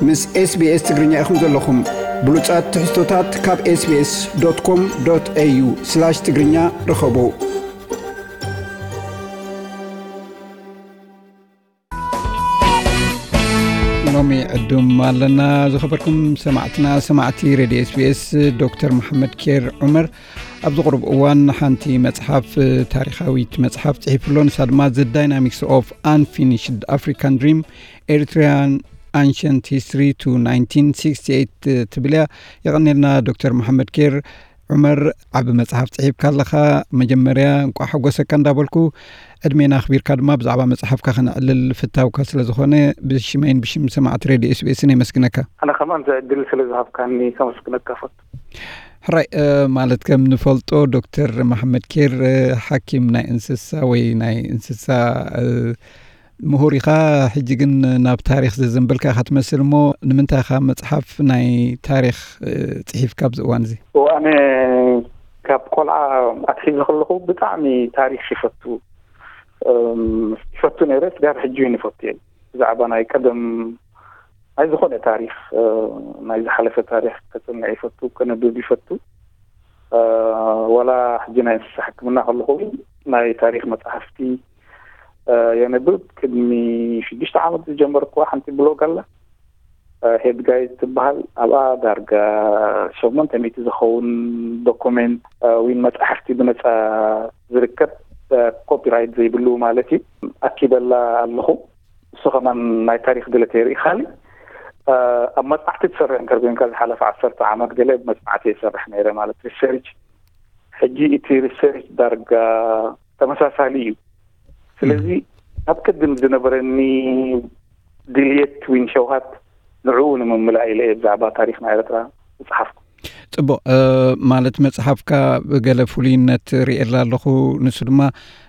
ምስ SBS ትግርኛ ኢኹም ዘለኹም። ብሉጻት ትሕዝቶታት ካብ SBS.com.au/ትግርኛ ርኸቡ። ሎሚ ዕዱም ኣለና። ዝኸበርኩም ሰማዕትና፣ ሰማዕቲ ሬድዮ SBS፣ ዶክተር መሓመድ ኬር ዑመር ኣብዚ ቁሩብ እዋን ሓንቲ መጽሓፍ፣ ታሪኻዊት መጽሓፍ ጽሒፉ ኣሎ። ንሳ ድማ The Dynamics of Unfinished African Dream: Eritrean Ancient History to nineteen sixty-eight ትብል እያ። የቐኔልና ዶክተር መሓመድ ኬር ዑመር፣ ዓቢ መጽሓፍ ጽሒፍካ ኣለኻ። መጀመርያ እንቋዕ ሓጎሰካ እንዳበልኩ፣ ዕድሜና ኣኽቢርካ ድማ ብዛዕባ መጽሓፍካ ከነዕልል ፍታውካ ስለ ዝኾነ፣ ብሽመይን ብሽም ሰማዕቲ ሬድዮ SBS የመስግነካ። ኣነ ከማን እዚ ዕድል ስለ ዝሃብካኒ ከመስግነካ ፈቱ። ሕራይ፣ እ፣ ማለት ከም ንፈልጦ ዶክተር መሓመድ ኬር፣ እ፣ ሓኪም ናይ እንስሳ ወይ ናይ እንስሳ፣ እ፣ ምሁር ኢኻ። ሕጂ ግን ናብ ታሪኽ ዘዘንበልካ ኢኻ ትመስል እሞ፣ ንምንታይ ኢኻ መጽሓፍ ናይ ታሪኽ፣ እ፣ ጽሒፍካ ኣብዚ እዋን እዚ? እዎ፣ ኣነ ካብ ቆልዓ ኣትሒዘ ከለኹ ብጣዕሚ ታሪኽ ይፈቱ፣ እም፣ ይፈቱ ነይረ፣ ስጋብ ሕጂ እውን ይፈቱ እየ። ብዛዕባ ናይ ቀደም ናይ ዝኾነ ታሪኽ፣ እ፣ ናይ ዝሓለፈ ታሪኽ ከጽንዕ ይፈቱ፣ ከነብብ ይፈቱ። እ፣ ወላ ሕጂ ናይ እንስሳ ሕክምና ከለኹ እውን ናይ ታሪኽ መጽሓፍቲ፣ እ፣ የንብብ። ቅድሚ ሽዱሽተ ዓመት ዝጀመርኩዋ ሓንቲ ብሎግ ኣላ፣ እ፣ ሄድ ጋይድ ትበሃል። ኣብኣ ዳርጋ ሸሞንተ ሚእቲ ዝኸውን ዶኩሜንት፣ እ፣ ዊን መጻሕፍቲ ብነጻ ዝርከብ፣ እ፣ ኮፒራይት ዘይብሉ ማለት እዩ፣ ኣኪበላ ኣለኹ። እሱ ከማን ናይ ታሪኽ ድሌት የርኢ። ካሊእ፣ እ፣ ኣብ መጽናዕቲ ትሰርሕ እንከር ኮይንካ፣ ዝሓለፈ ዓሰርተ ዓመት ገለ መጽናዕቲ የሰርሕ ነይረ፣ ማለት ሪሰርች። ሕጂ እቲ ሪሰርች ዳርጋ ተመሳሳሊ እዩ። ስለዚ፣ እም። ኣብ ቅድም ዝነበረኒ ድልየት ዊን ሸውሃት ንዕኡ ንምምላእ ኢለ እየ ብዛዕባ ታሪኽ ናይ ኤርትራ ዝጸሓፍኩ። ጽቡቕ፣ እ፣ ማለት መጽሓፍካ ገለ ፍሉይነት ርእየላ ኣለኹ። ንሱ ድማ፣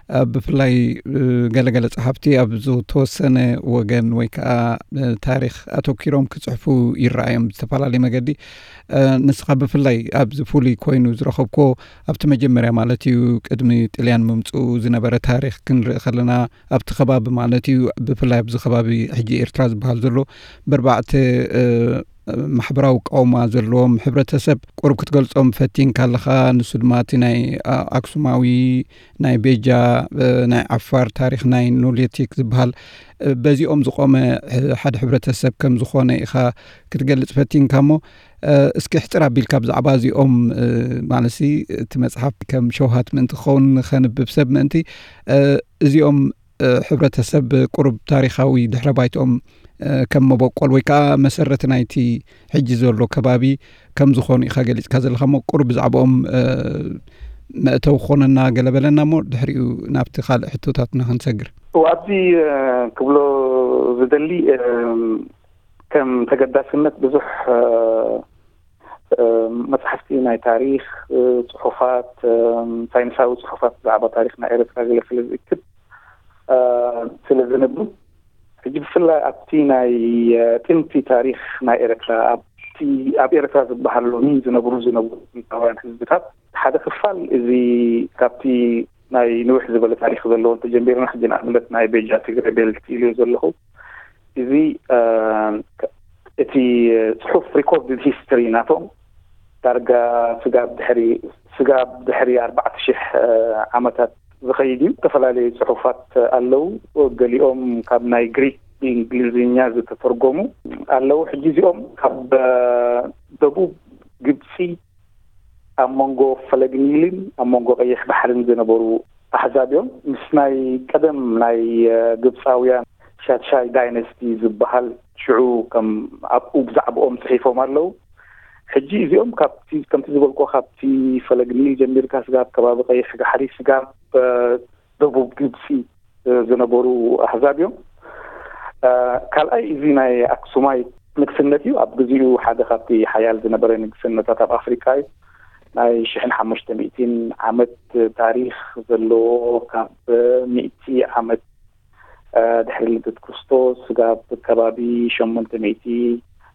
እ፣ ብፍላይ፣ እ፣ ገለገለ ጸሓፍቲ ኣብ ዝተወሰነ ወገን ወይ ከኣ፣ እ፣ ታሪኽ ኣተኲሮም ክጽሕፉ ይረኣዮም ብዝተፈላለየ መገዲ። እ፣ ንስኻ ብፍላይ ኣብዚ ፍሉይ ኮይኑ ዝረኸብኮ ኣብቲ መጀመርያ ማለት እዩ ቅድሚ ጥልያን ምምጽኡ ዝነበረ ታሪኽ ክንርኢ ከለና ኣብቲ ከባቢ ማለት እዩ ብፍላይ ኣብዚ ከባቢ ሕጂ ኤርትራ ዝበሃል ዘሎ በርባዕተ፣ እ፣ ማሕበራዊ ቃውማ ዘለዎም ሕብረተሰብ ቁሩብ ክትገልጾም ፈቲንካ ኣለኻ። ንሱ ድማ እቲ ናይ፣ ኣ-፣ ኣክሱማዊ፣ ናይ ቤጃ፣ እ፣ ናይ ዓፋር ታሪኽ፣ ናይ ኖሊዮቲክ ዝበሃል፣ እ፣ በዚኦም ዝቖመ፣ እ፣ ሓደ ሕብረተሰብ ከም ዝኾነ ኢኻ ክትገልጽ ፈቲንካ እሞ፣ እ፣ እስኪ ሕጽር ኣቢልካ ብዛዕባ እዚኦም፣ እ፣ ማለትሲ እቲ መጽሓፍ ከም ሸውሃት ምእንቲ ክኸውን ንኸንብብ ሰብ ምእንቲ፣ እ፣ እዚኦም እ፣ ሕብረተሰብ ቁሩብ ታሪኻዊ ድሕረ ባይትኦም፣ እ፣ ከም መበቆል ወይ ከኣ መሰረት ናይቲ ሕጂ ዘሎ ከባቢ ከም ዝኾኑ ኢኻ ገሊጽካ ዘለኻ እሞ፣ ቁሩብ ብዛዕባኦም፣ እ፣ መእተዊ ክኾነና ገለ በለና እሞ፣ ድሕሪኡ ናብቲ ካልእ ሕቶታትና ክንሰግር። እወ፣ ኣብዚ፣ እ፣ ክብሎ ዝደሊ፣ እ፣ ከም ተገዳስነት ብዙሕ፣ እ፣ እ፣ መጽሓፍቲ ናይ ታሪኽ፣ እ፣ ጽሑፋት፣ እ፣ ሳይንሳዊ ጽሑፋት ብዛዕባ ታሪኽ ናይ ኤርትራ ገለ ስለ ዝእክብ፣ እ፣ ስለ ዝንብብ፣ ሕጂ ብፍላይ ኣብቲ ናይ፣ እ፣ ጥንቲ ታሪኽ ናይ ኤርትራ፣ ኣብቲ ኣብ ኤርትራ ዝበሃል ሎሚ ዝነብሩ ዝነበሩ ጥንታውያን ህዝብታት ሓደ ክፋል፣ እዚ ካብቲ ናይ ንውሕ ዝበለ ታሪኽ ዘለዎ እንተጀሚርና፣ ሕጂ ንኣብነት ናይ ቤጃ ትግረ ቤልት ኢሉ ዘለኹ፣ እዚ፣ እ፣ እቲ ጽሑፍ ሪኮርድድ ሂስትሪ ናቶም ዳርጋ ስጋብ ድሕሪ፣ ስጋብ ድሕሪ ኣርባዕተ ሽሕ፣ እ፣ ዓመታት ዝኸይድ እዩ። ዝተፈላለዩ ጽሑፋት ኣለዉ። ገሊኦም ካብ ናይ ግሪክ ብእንግሊዝኛ ዝተተርጎሙ ኣለዉ። ሕጂ እዚኦም ካብ፣ እ፣ ደቡብ ግብጺ ኣብ መንጎ ፈለግ ኒልን ኣብ መንጎ ቀይሕ ባሕርን ዝነበሩ ኣሕዛብ እዮም። ምስ ናይ ቀደም ናይ፣ እ፣ ግብጻውያን ሻድሻይ ዳይነስቲ ዝበሃል ሽዑ ከም ኣብኡ ብዛዕባኦም ጽሒፎም ኣለዉ። ሕጂ እዚኦም ካብቲ፣ ከምቲ ዝበልኩ፣ ካብቲ ፈለግ ኒል ጀሚርካ ስጋብ ከባቢ ቀይሕ ባሕሪ፣ ስጋብ፣ እ፣ ደቡብ ግብጺ፣ እ፣ ዝነበሩ ኣህዛብ እዮም። እ፣ ካልኣይ፣ እዚ ናይ ኣክሱማይ ንግስነት እዩ። ኣብ ግዜኡ ሓደ ካብቲ ሓያል ዝነበረ ንግስነታት ኣብ ኣፍሪቃ እዩ። ናይ ሽሕን ሓሙሽተ ሚእትን ዓመት ታሪኽ ዘለዎ፣ ካብ ሚእቲ ዓመት፣ እ፣ ድሕሪ ልደት ክርስቶስ ስጋብ ከባቢ ሸሞንተ ሚእቲ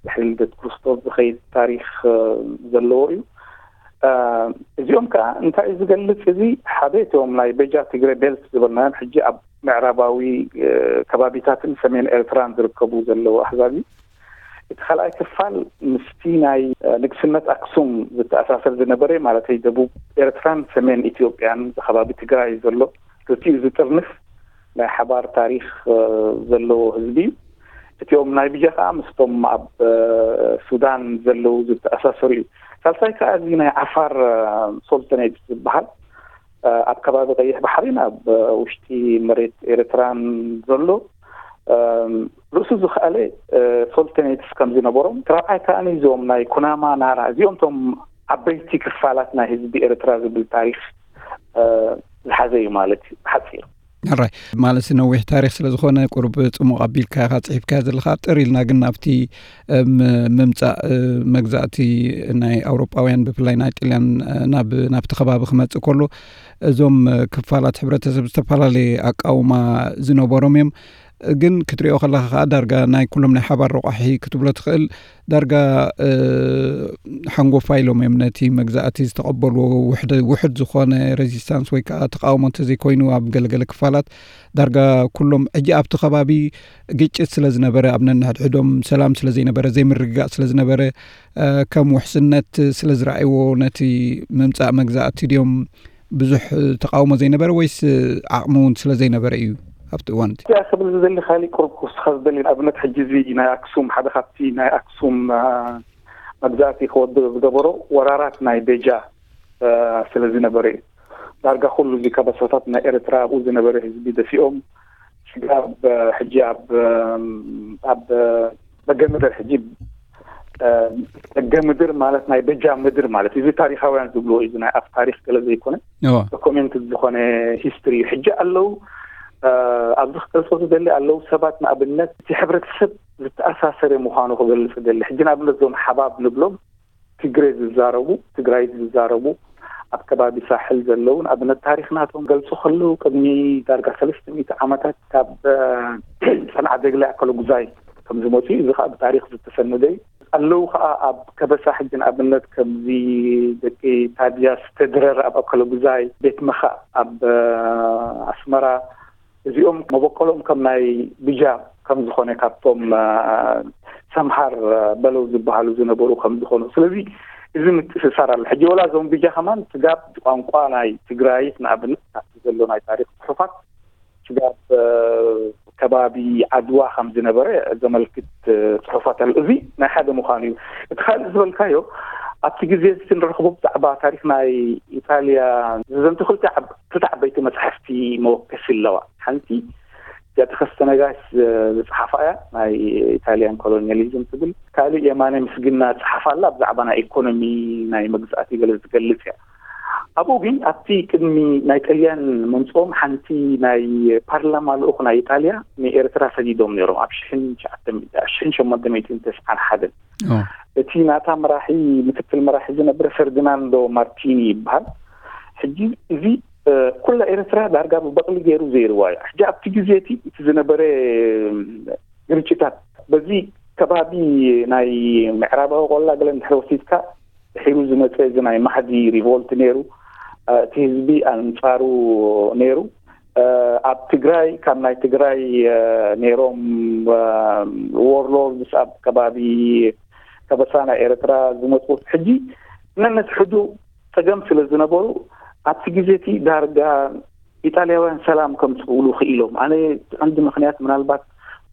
ድሕሪ ልደት ክርስቶስ ዝኸይድ ታሪኽ፣ እ፣ ዘለዎ እዩ። እ፣ እዚኦም ከኣ እንታይ እዩ ዝገልጽ? እዚ ሓደ እቶም ናይ ቤጃ ትግረ ቤልት ዝበልናዮም ሕጂ ኣብ ምዕራባዊ፣ እ፣ ከባቢታትን ሰሜን ኤርትራን ዝርከቡ ዘለዉ ኣህዛብ እዩ። እቲ ካልኣይ ክፋል ምስቲ ናይ ንግስነት ኣክሱም ዝተኣሳሰር ዝነበረ፣ ማለተይ ደቡብ ኤርትራን ሰሜን ኢትዮጵያን ከባቢ ትግራይ ዘሎ ክልቲኡ ዝጥርንፍ ናይ ሓባር ታሪኽ ዘለዎ ህዝቢ እዩ። እቲኦም ናይ ብጃ ከዓ ምስቶም ኣብ ሱዳን ዘለዉ ዝተኣሳሰሩ እዩ። ሳልሳይ ከዓ እዚ ናይ ዓፋር ሶልተኔት ዝበሃል ኣብ ከባቢ ቀይሕ ባሕሪን ኣብ ውሽጢ መሬት ኤርትራን ዘሎ ርእሱ ዝኸኣለ ሶልተኔትስ ከም ዝነበሮም፣ ራብዓይ ከዓ እዚኦም ናይ ኩናማ ናራ፣ እዚኦም ቶም ዓበይቲ ክፋላት ናይ ህዝቢ ኤርትራ ዝብል ታሪኽ ዝሓዘ እዩ ማለት እዩ ብሓፂሩ። ሕራይ፣ ማለት ነዊሕ ታሪኽ ስለ ዝኾነ ቁሩብ ጽሙቕ ኣቢልካ ኢኻ ጽሒፍካዮ ዘለኻ። ጥር ኢልና ግን ናብቲ ምምጻእ መግዛእቲ ናይ ኣውሮጳውያን፣ ብፍላይ ናይ ጥልያን፣ ናብ ናብቲ ከባቢ ክመጽእ ከሎ፣ እዞም ክፋላት ሕብረተሰብ ዝተፈላለየ ኣቃውማ ዝነበሮም እዮም። ግን ክትሪኦ ከለኻ ከዓ ዳርጋ ናይ ኩሎም ናይ ሓባር ረቋሒ ክትብሎ ትኽእል። ዳርጋ ሓንጎፋ ኢሎም እዮም ነቲ መግዛእቲ ዝተቐበልዎ። ውሕድ ዝኾነ ሬዚስታንስ ወይ ከዓ ተቃውሞ እንተዘይኮይኑ፣ ኣብ ገለገለ ክፋላት ዳርጋ ኩሎም፣ ሕጂ ኣብቲ ከባቢ ግጭት ስለ ዝነበረ፣ ኣብ ነንሕድሕዶም ሰላም ስለ ዘይነበረ፣ ዘይምርግጋእ ስለ ዝነበረ፣ ከም ውሕስነት ስለ ዝረኣይዎ፣ ነቲ ምምጻእ መግዛእቲ ድዮም ብዙሕ ተቃውሞ ዘይነበረ፣ ወይስ ዓቕሚ እውን ስለ ዘይነበረ እዩ ኣብቲ እዋን እቲ? እዚኣ ክብል ዝደሊ ካሊእ ቁሩብ ክውስኻ ዝደሊ ንኣብነት፣ ሕጂ እዚ ናይ ኣክሱም ሓደ ካብቲ ናይ ኣክሱም መግዛእቲ ክወድቕ ዝገበሮ ወራራት ናይ ቤጃ ስለ ዝነበረ እዩ። ዳርጋ ኩሉ እዚ ከበሳታት ናይ ኤርትራ ኣብኡ ዝነበረ ህዝቢ ደፊኦም፣ ስጋብ ሕጂ ኣብ ኣብ በገ ምድር ሕጂ በገ ምድር ማለት ናይ በጃ ምድር ማለት እዚ ታሪኻውያን ዝብልዎ እዩ። ናይ ኣፍ ታሪኽ ገለ ዘይኮነ ዶኮሜንት ዝኾነ ሂስትሪ እዩ። ሕጂ ኣለዉ ኣብዚ ክገልጾ ዝደሊ ኣለዉ ሰባት ንኣብነት እቲ ሕብረተሰብ ዝተኣሳሰረ ምዃኑ ክገልጽ ደሊ። ሕጂ ንኣብነት እዞም ሓባብ ንብሎም ትግረ ዝዛረቡ ትግራይት ዝዛረቡ ኣብ ከባቢ ሳሕል ዘለዉ ንኣብነት ታሪኽ ናቶም ገልጹ ከለዉ ቅድሚ ዳርጋ ሰለስተ ሚእቲ ዓመታት ካብ ሰንዓ ደግላይ ኣከለጉዛይ ከም ዝመፁ እዩ። እዚ ከዓ ብታሪኽ ዝተሰነደ እዩ። ኣለዉ ከዓ ኣብ ከበሳ ሕጂ ንኣብነት ከምዚ ደቂ ታድያስ ተድረር ኣብ ኣከለጉዛይ ቤት መኻእ ኣብ ኣስመራ እዚኦም መበቆሎም ከም ናይ ብጃ ከም ዝኾነ ካብቶም ሰምሃር በለው ዝበሃሉ ዝነበሩ ከም ዝኾኑ ስለዚ እዚ ምትእስሳር ኣሎ። ሕጂ ወላ እዞም ብጃ ከማን ስጋብ ቋንቋ ናይ ትግራይት ንኣብነት ናብቲ ዘሎ ናይ ታሪክ ፅሑፋት ስጋብ ከባቢ ዓድዋ ከም ዝነበረ ዘመልክት ፅሑፋት ኣሎ። እዚ ናይ ሓደ ምዃኑ እዩ። እቲ ካልእ ዝበልካዮ ኣብቲ ግዜ እዚ ንረኽቦ ብዛዕባ ታሪክ ናይ ኢጣልያ ዘዘንቱ ክልተ ክልተ ዓበይቲ መፅሓፍቲ መወከሲ ኣለዋ። ሓንቲ እዚኣ ተኸስተ ነጋሽ ዝፅሓፋ እያ፣ ናይ ኢታልያን ኮሎኒያሊዝም ትብል። ካልእ የማነ ምስግና ዝፅሓፋ ኣላ፣ ብዛዕባ ናይ ኢኮኖሚ ናይ መግዛእቲ ገለ ዝገልፅ እያ። ኣብኡ ግን ኣብቲ ቅድሚ ናይ ጠልያን መምፅኦም ሓንቲ ናይ ፓርላማ ልኡኽ ናይ ኢጣልያ ንኤርትራ ሰዲዶም ነይሮም ኣብ ሽሕን ሸሞንተ ሚእትን ተስዓን ሓደን። እቲ ናታ መራሒ ምክትል መራሒ ዝነበረ ፈርዲናንዶ ማርቲኒ ይበሃል። ሕጂ እዚ ኩላ ኤርትራ ዳርጋ ብበቕሊ ገይሩ ዘይርዋ እዩ። ሕጂ ኣብቲ ግዜ እቲ እቲ ዝነበረ ግርጭታት በዚ ከባቢ ናይ ምዕራባዊ ቆላ ገለ እንድሕር ወሲድካ ድሒሩ ዝመፀ እዚ ናይ ማሕዲ ሪቮልት ነይሩ። እቲ ህዝቢ ኣንፃሩ ነይሩ። ኣብ ትግራይ ካብ ናይ ትግራይ ነይሮም ዎርሎርድስ ኣብ ከባቢ ከበሳ ናይ ኤርትራ ዝመፁ ሕጂ ነንሕድሕዱ ፀገም ስለ ዝነበሩ ኣብቲ ግዜ እቲ ዳርጋ ኢጣልያውያን ሰላም ከምፅእሉ ክኢሎም። ኣነ እቲ ቀንዲ ምክንያት ምናልባት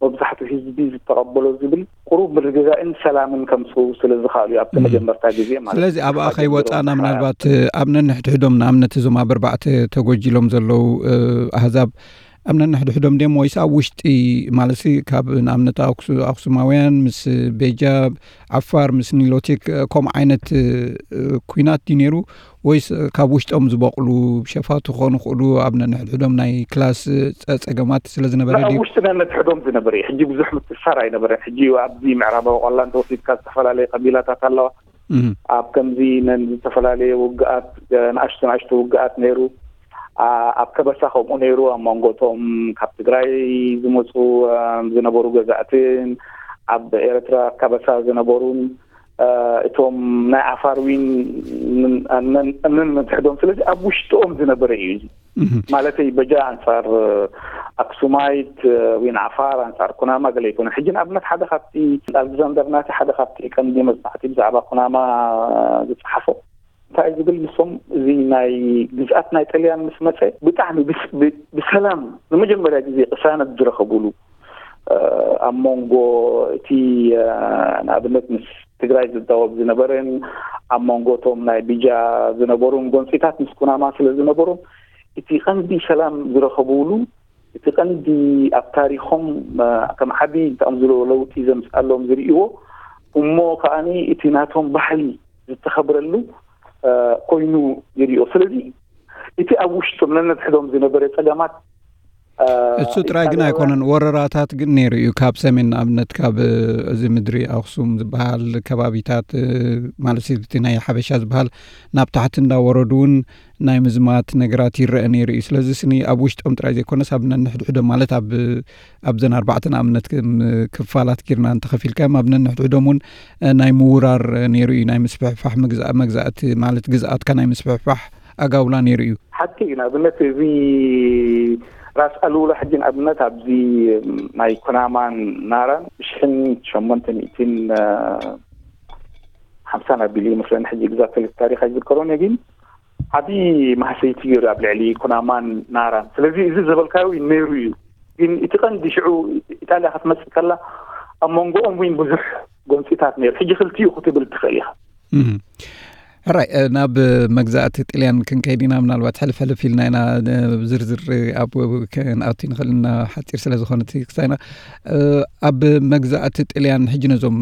መብዛሕትኡ ህዝቢ ዝተቐበሎ ዝብል ቁሩብ ምርግጋእን ሰላምን ከምፅኡ ስለ ዝኽኣሉ እዩ ኣብቲ መጀመርታ ግዜ ማለት ስለዚ እዩ። ኣብኣ ከይወፃና ምናልባት ኣብ ነንሕድሕዶም ንኣብነት እዞም ኣብ ኣርባዕተ ተጎጂሎም ዘለዉ ኣህዛብ ኣብ ነንሕድሕዶም ድዮም ወይስ ኣብ ውሽጢ ማለት ካብ ንኣብነት ኣክሱማውያን ምስ ቤጃ ዓፋር ምስ ኒሎቲክ ከምኡ ዓይነት ኩናት ድዩ ነይሩ ወይስ ካብ ውሽጦም ዝበቕሉ ሸፋቱ ክኾኑ ክእሉ ኣብ ነንሕድሕዶም ናይ ክላስ ፀገማት ስለ ዝነበረ ድዩ? ውሽጢ ነንሕድሕዶም ዝነበረ እዩ። ሕጂ ብዙሕ ምትእስሳር ኣይነበረን። ሕጂ ኣብዚ ምዕራባዊ ቆላ እንተወሲድካ ዝተፈላለየ ቀቢላታት ኣለዋ። ኣብ ከምዚ ነን ዝተፈላለየ ውግኣት ንኣሽቱ ንኣሽቱ ውግኣት ነይሩ። ኣብ ከበሳ ከምኡ ነይሩ። ኣብ መንጎ እቶም ካብ ትግራይ ዝመፁ ዝነበሩ ገዛእትን ኣብ ኤርትራ ከበሳ ዝነበሩን እቶም ናይ ዓፋር ዊን እምንን መትሕዶም። ስለዚ ኣብ ውሽጥኦም ዝነበረ እዩ እዚ። ማለተይ በጃ ኣንጻር ኣክሱማይት ዊን ዓፋር ኣንጻር ኩናማ ገለ ይኮነ። ሕጂ ንኣብነት ሓደ ካብቲ ኣሌክዛንደር ናቲ ሓደ ካብቲ ቀንዲ መጽናዕቲ ብዛዕባ ኩናማ ዝጸሓፎ እንታይ ዝብል ንሶም፣ እዚ ናይ ግዝኣት ናይ ጥልያን ምስ መጸ ብጣዕሚ ብሰላም ንመጀመርያ ግዜ ቅሳነት ዝረኸቡሉ ኣብ መንጎ እቲ ንኣብነት ምስ ትግራይ ዝዳወብ ዝነበረን ኣብ መንጎ እቶም ናይ ቢጃ ዝነበሩን ጎንፂታት ምስ ኩናማ ስለ ዝነበሩን እቲ ቀንዲ ሰላም ዝረኸብሉ እቲ ቀንዲ ኣብ ታሪኾም ከም ዓቢ ከም ዝሎ ለውጢ ዘምፅኣሎም ዝርእይዎ እሞ ከዓኒ እቲ ናቶም ባህሊ ዝተኸብረሉ ኮይኑ ይርእዮ። ስለዚ እቲ ኣብ ውሽጦም ነነድሕዶም ዝነበረ ጸገማት እሱ ጥራይ ግን ኣይኮነን። ወረራታት ግን ነይሩ እዩ። ካብ ሰሜን ንኣብነት ካብ እዚ ምድሪ ኣክሱም ዝበሃል ከባቢታት ማለት እቲ ናይ ሓበሻ ዝበሃል ናብ ታሕቲ እንዳወረዱ እውን ናይ ምዝማት ነገራት ይረአ ነይሩ እዩ። ስለዚ ስኒ ኣብ ውሽጦም ጥራይ ዘይኮነስ ኣብ ነንሕድሕዶም ማለት ኣብ ኣብዘን ኣርባዕተ ንኣብነት ክፋላት ጌርና እንተኸፊልካዮም ኣብ ነንሕድሕዶም እውን ናይ ምውራር ነይሩ እዩ። ናይ ምስፍሕፋሕ መግዛእቲ ማለት ግዝኣትካ ናይ ምስፍሕፋሕ ኣጋውላ ነይሩ እዩ። ሓቂ እዩ። ንኣብነት እዚ ራስ ኣሉላ ሕጂ ንኣብነት ኣብዚ ናይ ኩናማን ናራን ብሽሕን ሸሞንተ ሚእትን ሓምሳን ኣቢሉ ይመስለኒ። ሕጂ ግዛት ሰለስተ ታሪኽ ኣይዝከሮን እየ፣ ግን ዓቢ ማህሰይቲ ገይሩ ኣብ ልዕሊ ኩናማን ናራን። ስለዚ እዚ ዝበልካዮ ነይሩ እዩ። ግን እቲ ቀንዲ ሽዑ ኢጣልያ ክትመጽእ ከላ ኣብ መንጎኦም እውን ብዙሕ ጎንፂታት ነይሩ። ሕጂ ክልቲኡ ክትብል ትኽእል ኢኻ። ሕራይ ናብ መግዛእቲ ጥልያን ክንከይድ ኢና። ምናልባት ሕልፍ ሕልፍ ኢልና ኢና ዝርዝር ኣብ ክንኣቱ ንኽእል ኢና ሓፂር ስለ ዝኾነ ክሳይና ኣብ መግዛእቲ ጥልያን ሕጂ ነዞም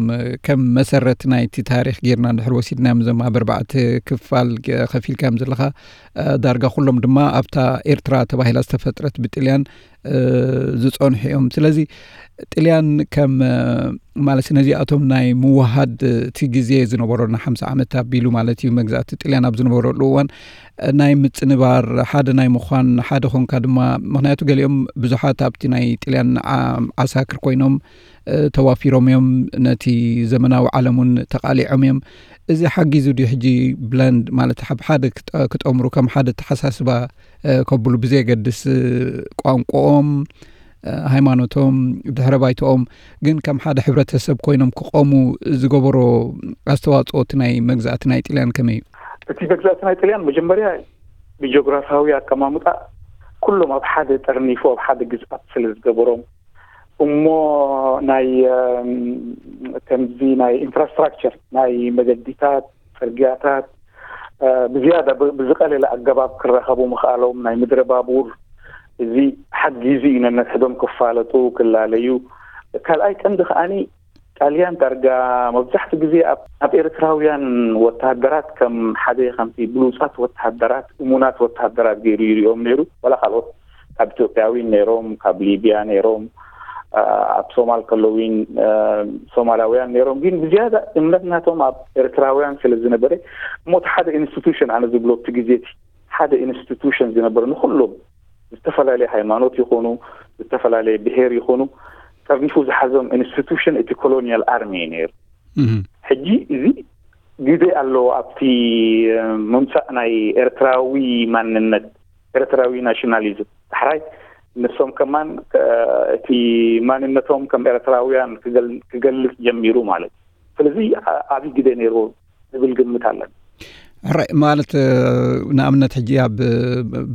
ከም መሰረት ናይቲ ታሪኽ ጌርና እንድሕር ወሲድናዮም እዞም ኣብ ኣርባዕተ ክፋል ከፊልካዮም ዘለኻ ዳርጋ ኩሎም ድማ ኣብታ ኤርትራ ተባሂላ ዝተፈጥረት ብጥልያን ዝጸንሑ እዮም። ስለዚ ጥልያን ከም ማለት ነዚኣቶም ናይ ምውሃድ እቲ ግዜ ዝነበሮ ን ሓምሳ ዓመት ኣቢሉ ማለት እዩ መግዛእቲ ጥልያን ኣብ ዝነበረሉ እዋን ናይ ምጽንባር ሓደ ናይ ምዃን ሓደ ኾንካ ድማ ምክንያቱ ገሊኦም ብዙሓት ኣብቲ ናይ ጥልያን ዓሳክር ኮይኖም ተዋፊሮም እዮም፣ ነቲ ዘመናዊ ዓለም እውን ተቃሊዖም እዮም። እዚ ሓጊዙ ድዩ ሕጂ ብለንድ ማለት ኣብ ሓደ ክጠምሩ ከም ሓደ ተሓሳስባ ከብሉ ብዘየገድስ ቋንቋኦም፣ ሃይማኖቶም፣ ድሕረ ባይተኦም ግን ከም ሓደ ሕብረተሰብ ኮይኖም ክቆሙ ዝገበሮ ኣስተዋፅኦ እቲ ናይ መግዛእቲ ናይ ጥልያን ከመይ እዩ? እቲ መግዛእቲ ናይ ጥልያን መጀመርያ ብጂኦግራፋዊ ኣቀማምጣ ኩሎም ኣብ ሓደ ጠርኒፉ ኣብ ሓደ ግዝኣት ስለ ዝገበሮም እሞ ናይ ከምዚ ናይ ኢንፍራስትራክቸር ናይ መገዲታት፣ ጽርግያታት ብዝያዳ ብዝቀለለ ኣገባብ ክራኸቡ ምኽኣሎም ናይ ምድረ ባቡር እዚ ሓጊዙ እዩ ነነድሕዶም ክፋለጡ ክላለዩ። ካልኣይ ቀንዲ ከዓኒ ጣልያን ዳርጋ መብዛሕትኡ ግዜ ኣብ ኤርትራውያን ወተሃደራት ከም ሓደ ከምቲ ብሉጻት ወተሃደራት እሙናት ወተሃደራት ገይሩ ይሪኦም ነይሩ። ዋላ ካልኦት ካብ ኢትዮጵያዊን ነይሮም፣ ካብ ሊብያ ነይሮም፣ ኣብ ሶማል ከለዊን ሶማላውያን ነይሮም። ግን ብዝያዳ እምነት ናቶም ኣብ ኤርትራውያን ስለ ዝነበረ እሞ እቲ ሓደ ኢንስቲቱሽን ኣነ ዝብሎ እቲ ግዜ እቲ ሓደ ኢንስቲቱሽን ዝነበረ ንኩሎም ዝተፈላለየ ሃይማኖት ይኾኑ ዝተፈላለየ ብሄር ይኾኑ ጠርኒፉ ዝሓዞም ኢንስቲቱሽን እቲ ኮሎኒያል ኣርሚ እዩ ነይሩ። ሕጂ እዚ ግደ ኣለዎ ኣብቲ ምምፃእ ናይ ኤርትራዊ ማንነት ኤርትራዊ ናሽናሊዝም። ዳሕራይ ንሶም ከማን እቲ ማንነቶም ከም ኤርትራውያን ክገልፅ ጀሚሩ ማለት እዩ። ስለዚ ዓብይ ግደ ነይርዎ ዝብል ግምት ኣለኒ። ሕራይ ማለት ንኣብነት ሕጂ ኣብ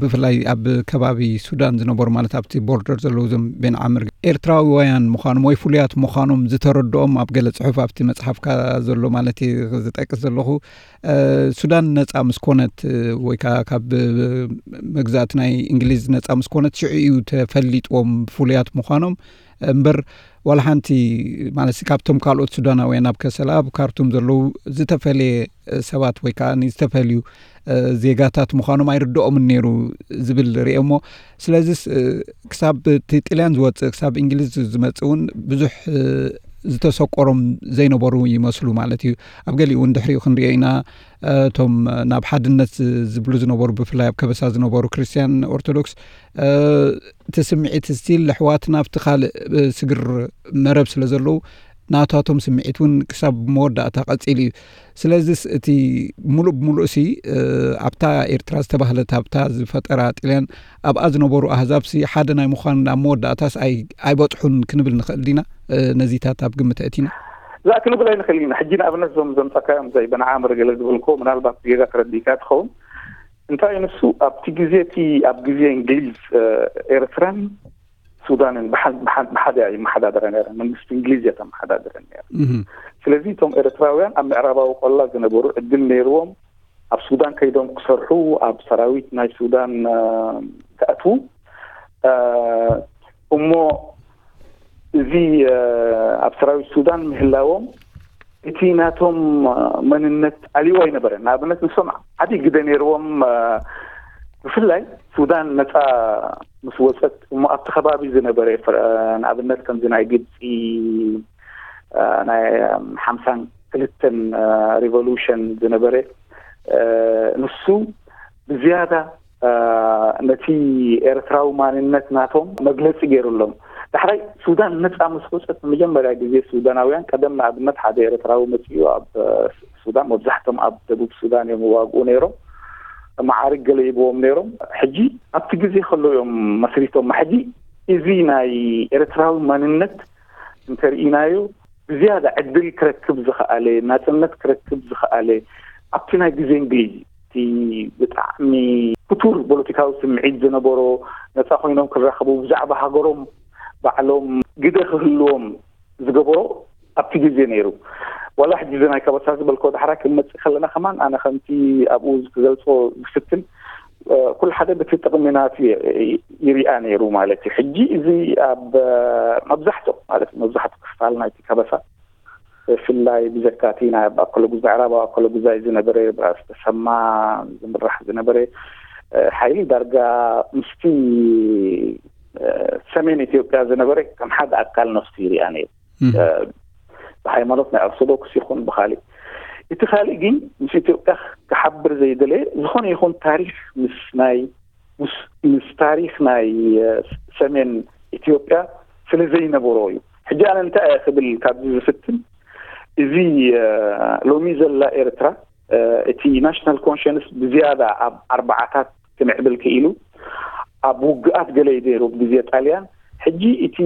ብፍላይ ኣብ ከባቢ ሱዳን ዝነበሩ ማለት ኣብቲ ቦርደር ዘለዉ ዞም ቤን ዓምር ኤርትራውያን ምዃኖም ወይ ፍሉያት ምዃኖም ዝተረድኦም ኣብ ገለ ጽሑፍ ኣብቲ መጽሓፍካ ዘሎ ማለት ዝጠቅስ ዘለኹ ሱዳን ነጻ ምስ ኮነት ወይ ከዓ ካብ መግዛእቲ ናይ እንግሊዝ ነጻ ምስ ኮነት ሽዑ እዩ ተፈሊጥዎም ፍሉያት ምዃኖም እምበር ዋላ ሓንቲ ማለት ካብቶም ካልኦት ሱዳናውያን ኣብ ከሰላ ኣብ ካርቱም ዘለዉ ዝተፈለየ ሰባት ወይ ከዓ ዝተፈልዩ ዜጋታት ምዃኖም ኣይርድኦምን ነይሩ ዝብል ርእየ እሞ ስለዚስ ክሳብ እቲ ጥልያን ዝወፅእ ክሳብ እንግሊዝ ዝመፅእ እውን ብዙሕ ዝተሰቆሮም ዘይነበሩ ይመስሉ ማለት እዩ። ኣብ ገሊኡ እውን ድሕሪኡ ክንሪኦ ኢና እቶም ናብ ሓድነት ዝብሉ ዝነበሩ ብፍላይ ኣብ ከበሳ ዝነበሩ ክርስትያን ኦርቶዶክስ እቲ ስምዒት ስቲል ኣሕዋትና ኣብቲ ካልእ ስግር መረብ ስለ ዘለዉ ናታቶም ስምዒት እውን ክሳብ መወዳእታ ቀጺሉ እዩ። ስለዚስ እቲ ሙሉእ ብሙሉእ ሲ ኣብታ ኤርትራ ዝተባህለት ኣብታ ዝፈጠራ ጥልያን ኣብኣ ዝነበሩ ኣህዛብ ሲ ሓደ ናይ ምዃን ኣብ መወዳእታስ ኣይበጽሑን ክንብል ንኽእል ዲና? ነዚታት ኣብ ግምት ኣእቲና እዛ ክንብል ኣይንኽእል ኢና። ሕጂ ንኣብነት ዞም ዘምጻካዮም ዘይ በንዓምር ገለ ዝበልኮ ምናልባት ጌጋ ተረዲእካ ትኸውን። እንታይ ንሱ ኣብቲ ግዜ እቲ ኣብ ግዜ እንግሊዝ ኤርትራን ሱዳንን ብሓደ ይመሓዳደረ ነረ። መንግስቲ እንግሊዝ እየ ተመሓዳደረ ነረ። ስለዚ እቶም ኤርትራውያን ኣብ ምዕራባዊ ቆላ ዝነበሩ ዕድል ነይርዎም ኣብ ሱዳን ከይዶም ክሰርሑ፣ ኣብ ሰራዊት ናይ ሱዳን ክኣትዉ። እሞ እዚ ኣብ ሰራዊት ሱዳን ምህላዎም እቲ ናቶም መንነት ኣልዎ ኣይነበረን። ንኣብነት ንሶም ዓዲ ግደ ነይርዎም። ብፍላይ ሱዳን ነፃ ምስ ወፀት እሞ ኣብቲ ከባቢ ዝነበረ ንኣብነት ከምዚ ናይ ግብፂ ናይ ሓምሳን ክልተን ሪቮሉሽን ዝነበረ ንሱ ብዝያዳ ነቲ ኤርትራዊ ማንነት ናቶም መግለፂ ገይሩሎም። ዳሕራይ ሱዳን ነፃ ምስ ወፀት ንመጀመርያ ግዜ ሱዳናውያን ቀደም ንኣብነት ሓደ ኤርትራዊ መፅኡ ኣብ ሱዳን መብዛሕቶም ኣብ ደቡብ ሱዳን እዮም ይዋግኡ ነይሮም። መዓርግ ገለ ይብዎም ነይሮም። ሕጂ ኣብቲ ግዜ ከሎ እዮም መስሪቶም። ሕጂ እዚ ናይ ኤርትራዊ ማንነት እንተርኢናዮ ብዝያዳ ዕድል ክረክብ ዝኸኣለ፣ ናጽነት ክረክብ ዝኸኣለ ኣብቲ ናይ ግዜ እንግሊዝ እቲ ብጣዕሚ ክቱር ፖለቲካዊ ስምዒት ዝነበሮ፣ ነጻ ኮይኖም ክራኸቡ፣ ብዛዕባ ሃገሮም ባዕሎም ግደ ክህልዎም ዝገበሮ ኣብቲ ግዜ ነይሩ። ዋላ ሕጂ እዚ ናይ ከበሳ ዝበልኮ ዳሕራ ክንመጽእ ከለና ከማን ኣነ ከምቲ ኣብኡ ክገልጾ ዝፍትን ኩሉ ሓደ በቲ ጥቕሚ ናቱ ይሪኣ ነይሩ ማለት እዩ። ሕጂ እዚ ኣብ መብዛሕትኡ ማለት መብዛሕትኡ ክፋል ናይቲ ከበሳ ብፍላይ ብዘካቲ ናይ ኣከለጉዛይ ምዕራባዊ ኣከለጉዛይ ዝነበረ ብራስ ተሰማ ዝምራሕ ዝነበረ ሓይሊ ዳርጋ ምስቲ ሰሜን ኢትዮጵያ ዝነበረ ከም ሓደ ኣካል ነፍሱ ይሪኣ ነይሩ። ብሃይማኖት ናይ ኦርቶዶክስ ይኹን ብካሊእ እቲ ካልእ ግን ምስ ኢትዮጵያ ክሓብር ዘይደለየ ዝኾነ ይኹን ታሪክ ምስ ናይ ምስ ታሪክ ናይ ሰሜን ኢትዮጵያ ስለ ዘይነበሮ እዩ። ሕጂ ኣነ እንታይ እየ ክብል ካብዚ ዝፍትን እዚ ሎሚ ዘላ ኤርትራ እቲ ናሽናል ኮንሽንስ ብዝያዳ ኣብ ኣርባዓታት ክምዕብል ክኢሉ ኣብ ውግኣት ገለ እዩ ነይሩ ብግዜ ጣልያን። ሕጂ እቲ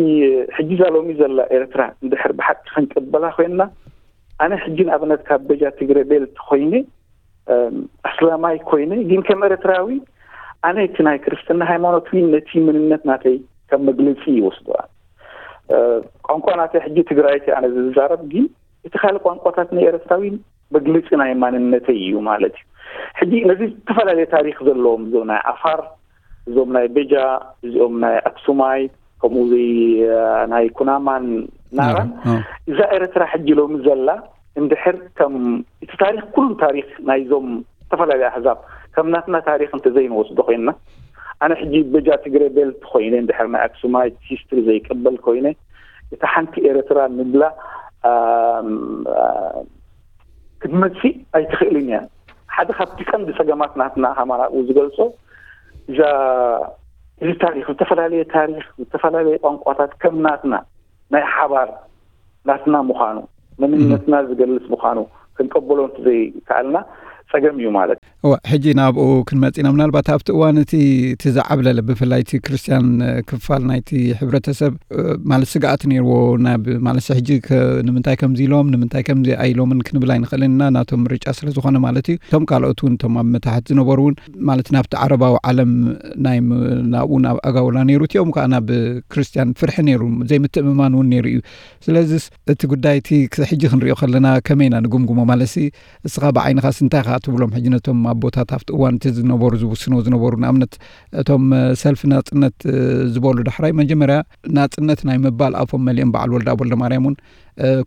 ሕጂ እዛ ሎሚ ዘላ ኤርትራ እንድሕር ብሓቂ ክንቅበላ ኮይንና ኣነ ሕጂ ንኣብነት ካብ በጃ ትግረ ቤልት ኮይነ ኣስላማይ ኮይነ ግን ከም ኤርትራዊ ኣነ እቲ ናይ ክርስትና ሃይማኖት ነቲ መንነት ናተይ ከም መግለፂ ይወስዶ። ቋንቋ ናተይ ሕጂ ትግራይቲ ኣነ ዝዛረብ ግን እቲ ካልእ ቋንቋታት ናይ ኤርትራዊ መግለፂ ናይ ማንነተይ እዩ ማለት እዩ። ሕጂ ነዚ ዝተፈላለየ ታሪክ ዘለዎም እዞም ናይ ዓፋር እዞም ናይ በጃ እዚኦም ናይ ኣክሱማይ ከምኡ ናይ ኩናማን ናራን እዛ ኤርትራ ሕጂ ሎሚ ዘላ እንድሕር ከም እቲ ታሪክ ኩሉ ታሪክ ናይዞም ዝተፈላለዩ ኣህዛብ ከም ናትና ታሪክ እንተዘይንወስዶ ኮይንና ኣነ ሕጂ በጃ ትግረ ቤልት ኮይነ እንድሕር ናይ ኣክሱማይ ሂስትሪ ዘይቅበል ኮይነ እታ ሓንቲ ኤርትራ ንብላ ክትመፅእ ኣይትኽእልን እያ። ሓደ ካብቲ ቀንዲ ፀገማት ናትና ከማን ኣብኡ ዝገልፆ እዛ እዚ ታሪክ ዝተፈላለየ ታሪክ ዝተፈላለየ ቋንቋታት ከም ናትና ናይ ሓባር ናትና ምዃኑ መንነትና ዝገልፅ ምዃኑ ክንቀበሎ እንተዘይከኣልና ፀገም እዩ ማለት እዩ። እወ ሕጂ ናብኡ ክንመጽ ኢና። ምናልባት ኣብቲ እዋን እቲ እቲ ዝዓብለለ ብፍላይ እቲ ክርስትያን ክፋል ናይቲ ሕብረተሰብ ማለት ስግኣት ነይርዎ ናብ ማለት ሕጂ ንምንታይ ከምዚ ኢሎም ንምንታይ ከምዚ ኣይሎምን ክንብል ኣይንኽእልን ኢና ናቶም ምርጫ ስለ ዝኾነ ማለት እዩ። እቶም ካልኦት እውን እቶም ኣብ መታሕት ዝነበሩ እውን ማለት ናብቲ ዓረባዊ ዓለም ናይ ናብኡ ናብ ኣጋውላ ነይሩ እቲኦም ከዓ ናብ ክርስትያን ፍርሒ ነይሩ ዘይምትእምማን እውን ነይሩ እዩ። ስለዚስ እቲ ጉዳይ እቲ ሕጂ ክንሪኦ ከለና ከመይ ኢና ንግምግሞ ማለትሲ እስኻ ብዓይንኻስ እንታይ ኢኻ ትብሎም ሕጂ ነቶም ኣቦታት ኣብቲ እዋን እቲ ዝነበሩ ዝውስንዎ ዝነበሩ ንኣብነት እቶም ሰልፊ ናጽነት ዝበሉ ዳሕራይ መጀመርያ ናጽነት ናይ ምባል ኣፎም መሊኦም በዓል ወልደኣብ ወልደማርያም እውን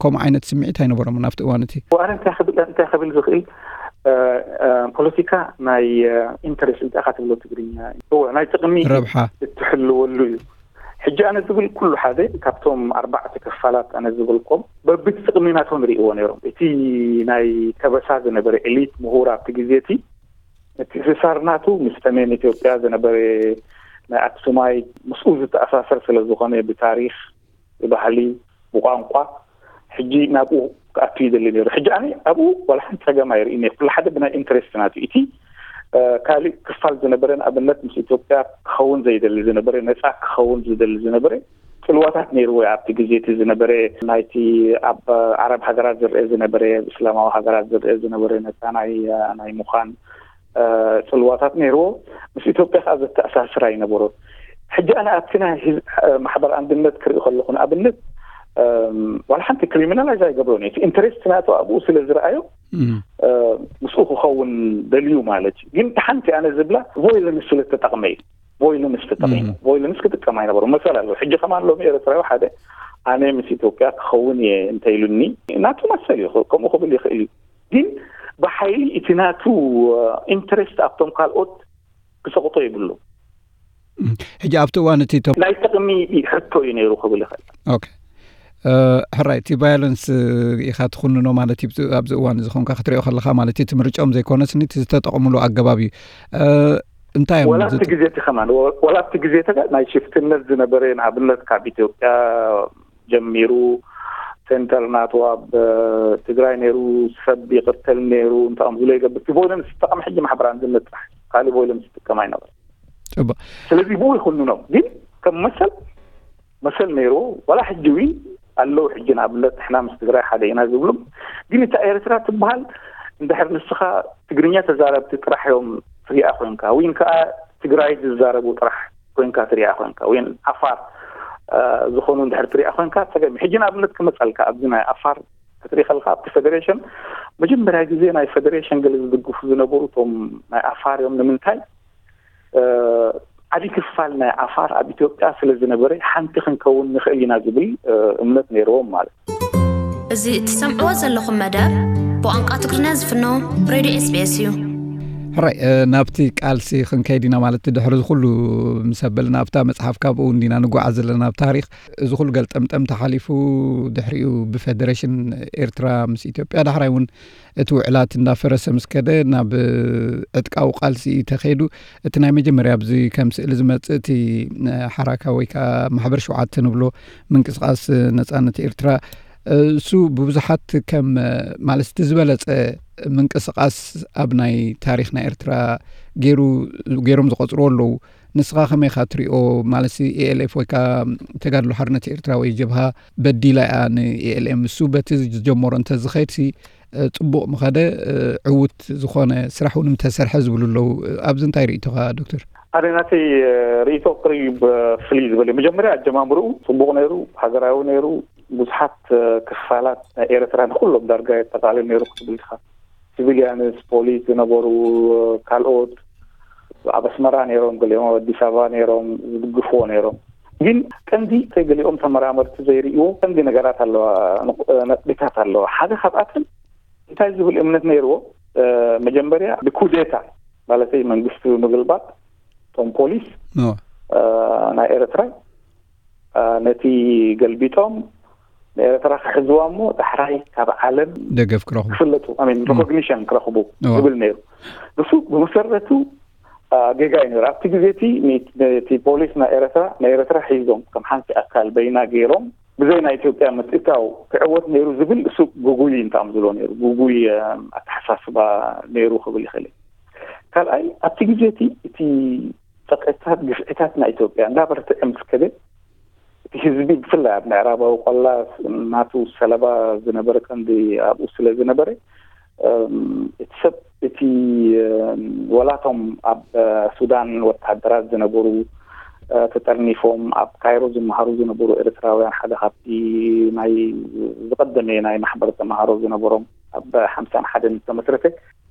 ከምኡ ዓይነት ስምዒት ኣይነበሮምን ኣብቲ እዋን እቲ። ኣነ እንታይ ክብል እንታይ ክብል ዝኽእል ፖለቲካ ናይ ኢንተረስት እንታይ ኢኻ ትብሎ ትግርኛ እወ ናይ ጥቕሚ ረብሓ እትሕልወሉ እዩ። ሕጂ ኣነ ዝብል ኩሉ ሓደ ካብቶም ኣርባዕተ ክፋላት ኣነ ዝበልኮም በብቲ ጥቕሚ ናቶም ይርእይዎ ነይሮም። እቲ ናይ ከበሳ ዝነበረ ኤሊት ምሁር ኣብቲ ግዜ እቲ ምትእስሳር ናቱ ምስ ሰሜን ኢትዮጵያ ዝነበረ ናይ ኣክሱማይ ምስኡ ዝተኣሳሰር ስለ ዝኾነ ብታሪኽ፣ ብባህሊ፣ ብቋንቋ ሕጂ ናብኡ ክኣቱ ይደሊ ነይሩ። ሕጂ ኣነ ኣብኡ ዋላ ሓንቲ ጸገም ኣይርእይን እየ። ኩሉ ሓደ ብናይ ኢንትረስት ናቱ። እቲ ካልእ ክፋል ዝነበረ፣ ንኣብነት ምስ ኢትዮጵያ ክኸውን ዘይደሊ ዝነበረ፣ ነጻ ክኸውን ዝደሊ ዝነበረ ጽልዋታት ነይርዎ። ኣብቲ ግዜ እቲ ዝነበረ ናይቲ ኣብ ዓረብ ሃገራት ዝርአ ዝነበረ፣ እስላማዊ ሃገራት ዝርአ ዝነበረ ነጻ ናይ ናይ ምዃን ጽልዋታት ነይርዎ። ምስ ኢትዮጵያ ከዓ ዘተኣሳስር ኣይነበሮን። ሕጂ ኣነ ኣብቲ ናይ ማሕበር ኣንድነት ክርኢ ከለኹ፣ ንኣብነት ዋላ ሓንቲ ክሪሚናላይዝ ኣይገብሮን እዩ። ኢንተረስት ናቱ ኣብኡ ስለ ዝረኣዮ ምስኡ ክኸውን ደልዩ ማለት እዩ። ግን ሓንቲ ኣነ ዝብላ ቮይለንስ ስለ ተጠቕመ እዩ። ቮይለንስ ተጠቒሙ፣ ቮይለንስ ክጥቀም ኣይነበሩ መሰል ኣለዎ። ሕጂ ከማን ሎሚ ኤርትራዊ ሓደ ኣነ ምስ ኢትዮጵያ ክኸውን እየ እንተኢሉኒ ናቱ መሰል እዩ፣ ከምኡ ክብል ይኽእል እዩ። ግን ብሓይሊ እቲ ናቱ ኢንትረስት ኣብቶም ካልኦት ክሰቕጦ ይብሉ። ሕጂ ኣብቲ እዋን እቲ ናይ ጥቕሚ ሕቶ እዩ ነይሩ ክብል ይኽእል። ሕራይ፣ እቲ ቫዮለንስ ኢኻ ትኹንኖ ማለት እዩ። ኣብዚ እዋን እዚ ኾንካ ክትሪኦ ከለኻ ማለት እዩ፣ እቲ ምርጫኦም ዘይኮነስ እቲ ዝተጠቕምሉ ኣገባብ እዩ። እንታይ እዮም ወላ እቲ ግዜ እቲ ከማን ወላ እቲ ግዜ ተጋ ናይ ሽፍትነት ዝነበረ፣ ንኣብነት ካብ ኢትዮጵያ ጀሚሩ ሴንተር ናቱ ኣብ ትግራይ ነይሩ፣ ሰብ ይቕተል ነይሩ፣ እንታይ እዮም ዝሎ ይገብር፣ ቮይለንስ ዝጠቐም ሕጂ ማሕበር ኣንድነት ጥራሕ፣ ካልእ ቮይለንስ ዝጥቀም ኣይነበረ። ጽቡቕ። ስለዚህ ብኡ ይኹንኖም። ግን ከም መሰል መሰል ነይርዎ። ዋላ ሕጂ እውን ኣለዉ። ሕጂ ንኣብነት ንሕና ምስ ትግራይ ሓደ ኢና ዝብሉ፣ ግን እታ ኤርትራ ትበሃል እንድሕር ንስኻ ትግርኛ ተዛረብቲ ጥራሕ እዮም ትሪኣ ኮይንካ፣ ወይን ከዓ ትግራይ ዝዛረቡ ጥራሕ ኮይንካ ትሪኣ ኮይንካ፣ ወይን ዓፋር ዝኾኑ እንድሕር ትሪኣ ኮይንካ ጸገም። ሕጂ ንኣብነት ክመፀልካ ኣብዚ ናይ ዓፋር ክትርኢ ከለካ ኣብቲ ፌደሬሽን መጀመርያ ግዜ ናይ ፌደሬሽን ገለ ዝድግፉ ዝነበሩ እቶም ናይ ዓፋር እዮም። ንምንታይ ዓብዪ ክፋል ናይ ዓፋር ኣብ ኢትዮጵያ ስለ ዝነበረ ሓንቲ ክንከውን ንኽእል ኢና ዝብል እምነት ነይርዎም ማለት እዩ። እዚ እትሰምዕዎ ዘለኹም መደብ ብቋንቋ ትግርኛ ዝፍኖ ሬድዮ ኤስቢኤስ እዩ። ሕራይ ናብቲ ቃልሲ ክንከይድ ኢና ማለት ድሕሪ ዝኩሉ ምስ ኣበልና ኣብታ መፅሓፍ ካብኡ እንዲና ንጓዓዝ ዘለና ኣብ ታሪክ እዚ ኩሉ ገልጠምጠም ተሓሊፉ ድሕሪኡ ብፌደሬሽን ኤርትራ ምስ ኢትዮጵያ ዳሕራይ እውን እቲ ውዕላት እንዳፈረሰ ምስ ከደ ናብ ዕጥቃዊ ቃልሲ ተኸይዱ። እቲ ናይ መጀመርያ ኣብዚ ከም ስእሊ ዝመጽእ እቲ ሓራካ ወይ ከዓ ማሕበር ሸውዓተ ንብሎ ምንቅስቃስ ነጻነት ኤርትራ እሱ ብብዙሓት ከም ማለት እቲ ዝበለጸ ምንቅስቃስ ኣብ ናይ ታሪክ ናይ ኤርትራ ገይሩ ገይሮም ዝቆጽርዎ ኣለዉ። ንስኻ ከመይ ኢኻ ትሪኦ? ማለት ኢኤልኤፍ ወይ ከዓ ተጋድሎ ሓርነት ኤርትራ ወይ ጀብሃ በዲላ እያ ንኢኤልኤም። እሱ በቲ ዝጀመሮ እንተዝኸይድ ሲ ጽቡቕ ምኸደ፣ ዕዉት ዝኾነ ስራሕ እውን ምተሰርሐ ዝብሉ ኣለዉ። ኣብዚ እንታይ ርእይቶኻ ዶክተር? ኣነ ናተይ ርእይቶ ቅሪብ ፍልይ ዝበለ። መጀመርያ ኣጀማምርኡ ጽቡቕ ነይሩ፣ ሃገራዊ ነይሩ። ብዙሓት ክፋላት ናይ ኤርትራ ንኩሎም ዳርጋ የጠቃልል ነይሩ ክትብል ኢኻ። ሲቪልያንስ፣ ፖሊስ ዝነበሩ፣ ካልኦት ኣብ ኣስመራ ነይሮም፣ ገሊኦም ኣብ ኣዲስ ኣበባ ነይሮም፣ ዝድግፍዎ ነይሮም። ግን ቀንዲ ገሊኦም ተመራመርቲ ዘይርእይዎ ቀንዲ ነገራት ኣለዋ፣ ነጥቢታት ኣለዋ። ሓደ ካብኣተን እንታይ ዝብል እምነት ነይርዎ? መጀመርያ ብኩዴታ ማለተይ መንግስቲ ብምግልባጥ እቶም ፖሊስ ናይ ኤርትራ ነቲ ገልቢጦም ንኤርትራ ክሕዝዋ እሞ ዳሕራይ ካብ ዓለም ደገፍ ክረኽቡ ክፍለጡ፣ ሪኮግኒሽን ክረኽቡ ዝብል ነይሩ። ንሱ ብመሰረቱ ጌጋ እዩ ነይሩ። ኣብቲ ግዜ እቲ ፖሊስ ናይ ኤርትራ ናይ ኤርትራ ሒዞም ከም ሓንቲ ኣካል በይና ገይሮም ብዘይ ናይ ኢትዮጵያ ምትእታው ክዕወት ነይሩ ዝብል እሱ ጉጉይ እንታም ዝሎ ነይሩ፣ ጉጉይ ኣተሓሳስባ ነይሩ ክብል ይኽእል። ካልኣይ ኣብቲ ግዜ እቲ እቲ ጸቅዕታት ግፍዕታት ናይ ኢትዮጵያ እንዳበርትዐ ምስ ከደ እቲ ህዝቢ ብፍላይ ኣብ ምዕራባዊ ቆላ ናቱ ሰለባ ዝነበረ ቀንዲ ኣብኡ ስለ ዝነበረ እቲ ሰብ እቲ ወላቶም ኣብ ሱዳን ወታደራት ዝነበሩ ተጠርኒፎም ኣብ ካይሮ ዝመሃሩ ዝነበሩ ኤርትራውያን ሓደ ካብቲ ናይ ዝቀደመ ናይ ማሕበር ተመሃሮ ዝነበሮም ኣብ ሓምሳን ሓደን ዝተመስረተ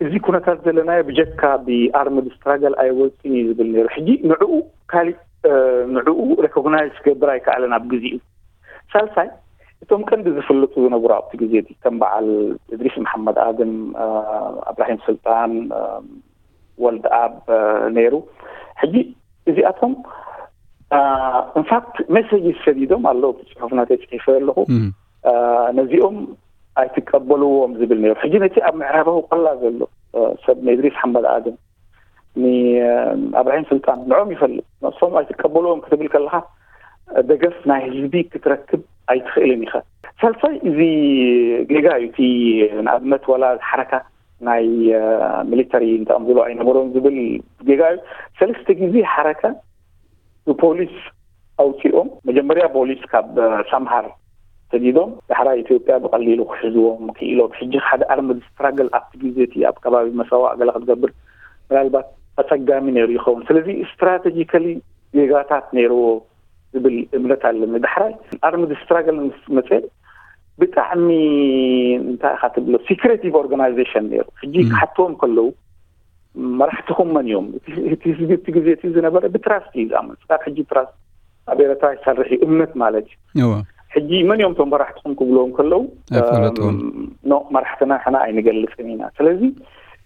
እዚ ኩነታት ዘለናዮ ብጀካ ብኣርምድ ስትራገል ኣይወፅን እዩ ዝብል ነይሩ። ሕጂ ንዕኡ ካሊእ ንዕኡ ሬኮግናይዝ ክገብር ኣይከኣለን ኣብ ግዜኡ። ሳልሳይ እቶም ቀንዲ ዝፍለጡ ዝነበሩ ኣብቲ ግዜ እቲ ከም በዓል እድሪስ መሓመድ ኣድም፣ ኣብራሂም ስልጣን፣ ወልድ ኣብ ነይሩ። ሕጂ እዚኣቶም ኢንፋክት ሜሴጅ ሰዲዶም ኣለዉ። እቲ ፅሑፍ ናተይ ፅሒፈ ኣለኹ። ነዚኦም ኣይትቀበልዎም ዝብል ነይሩ። ሕጂ ነቲ ኣብ ምዕራባዊ ቆላ ዘሎ ሰብ ንእድሪስ ሓመድ ኣድም ንኣብራሂም ስልጣን ንዕኦም ይፈልጥ። ንሶም ኣይትቀበልዎም ክትብል ከለካ ደገፍ ናይ ህዝቢ ክትረክብ ኣይትኽእልን ኢኻ። ሳልሳይ፣ እዚ ጌጋ እዩ። እቲ ንኣብነት ዋላ ሓረካ ናይ ሚሊተሪ እንተምዝሎ ኣይነበሮም ዝብል ጌጋ እዩ። ሰለስተ ግዜ ሓረካ ብፖሊስ ኣውፂኦም። መጀመርያ ፖሊስ ካብ ሳምሃር ሰዲዶም፣ ዳሕራይ ኢትዮጵያ ብቐሊሉ ክሕዝዎም ክኢሎም። ሕጂ ሓደ ኣርምድ ስትራግል ኣብቲ ግዜ እቲ ኣብ ከባቢ መሰዋ ገለ ክትገብር ምናልባት ኣፀጋሚ ነይሩ ይኸውን። ስለዚ ስትራቴጂካሊ ጌጋታት ነይርዎ ዝብል እምነት ኣለኒ። ዳሕራይ ኣርምድ ስትራግል ምስ መፀ ብጣዕሚ እንታይ ኢኻ ትብሎ ሲክሬቲቭ ኦርጋናይዜሽን ነይሩ። ሕጂ ክሓትዎም ከለዉ መራሕትኹም መን እዮም? እቲ ህዝቢ እቲ ግዜ እቲ ዝነበረ ብትራስት እዩ ዝኣምን። ስካብ ሕጂ ትራስት ኣብ ኤረትራ ይሰርሕ እዩ፣ እምነት ማለት እዩ። ሕጂ መን እዮም እቶም መራሕትኹም ክብልዎም ከለዉ ኖ፣ መራሕትና ሕና ኣይንገልፅን ኢና። ስለዚ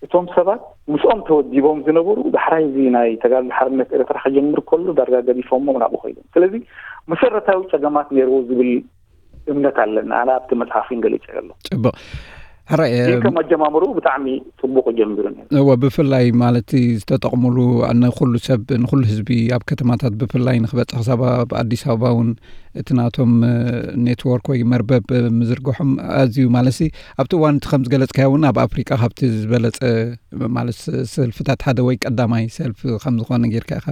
እቶም ሰባት ምስኦም ተወዲቦም ዝነበሩ ዳሕራይ እዚ ናይ ተጋድሎ ሓርነት ኤረትራ ክጀምር ከሎ ዳርጋ ገዲፎሞ ናብኡ ኮይዶም። ስለዚ መሰረታዊ ፀገማት ነይርዎ ዝብል እምነት ኣለና። ኣነ ኣብቲ መፅሓፍን ገሊፀ ኣሎ። ፅቡቅ። ሕራይ ግን ከም ኣጀማምሩ ብጣዕሚ ፅቡቅ ጀምሩ። እወ፣ ብፍላይ ማለት ዝተጠቕሙሉ ንኩሉ ሰብ፣ ንኩሉ ህዝቢ ኣብ ከተማታት ብፍላይ ንክበፅሕ ክሳብ ኣብ ኣዲስ ኣበባ እውን እቲ ናቶም ኔትወርክ ወይ መርበብ ምዝርግሖም ኣዝዩ ማለት ኣብቲ እዋን እቲ ከም ዝገለፅካዮ እውን ኣብ ኣፍሪቃ ካብቲ ዝበለፀ ማለት ሰልፍታት ሓደ ወይ ቀዳማይ ሰልፍ ከም ዝኾነ ጌርካ ኢኻ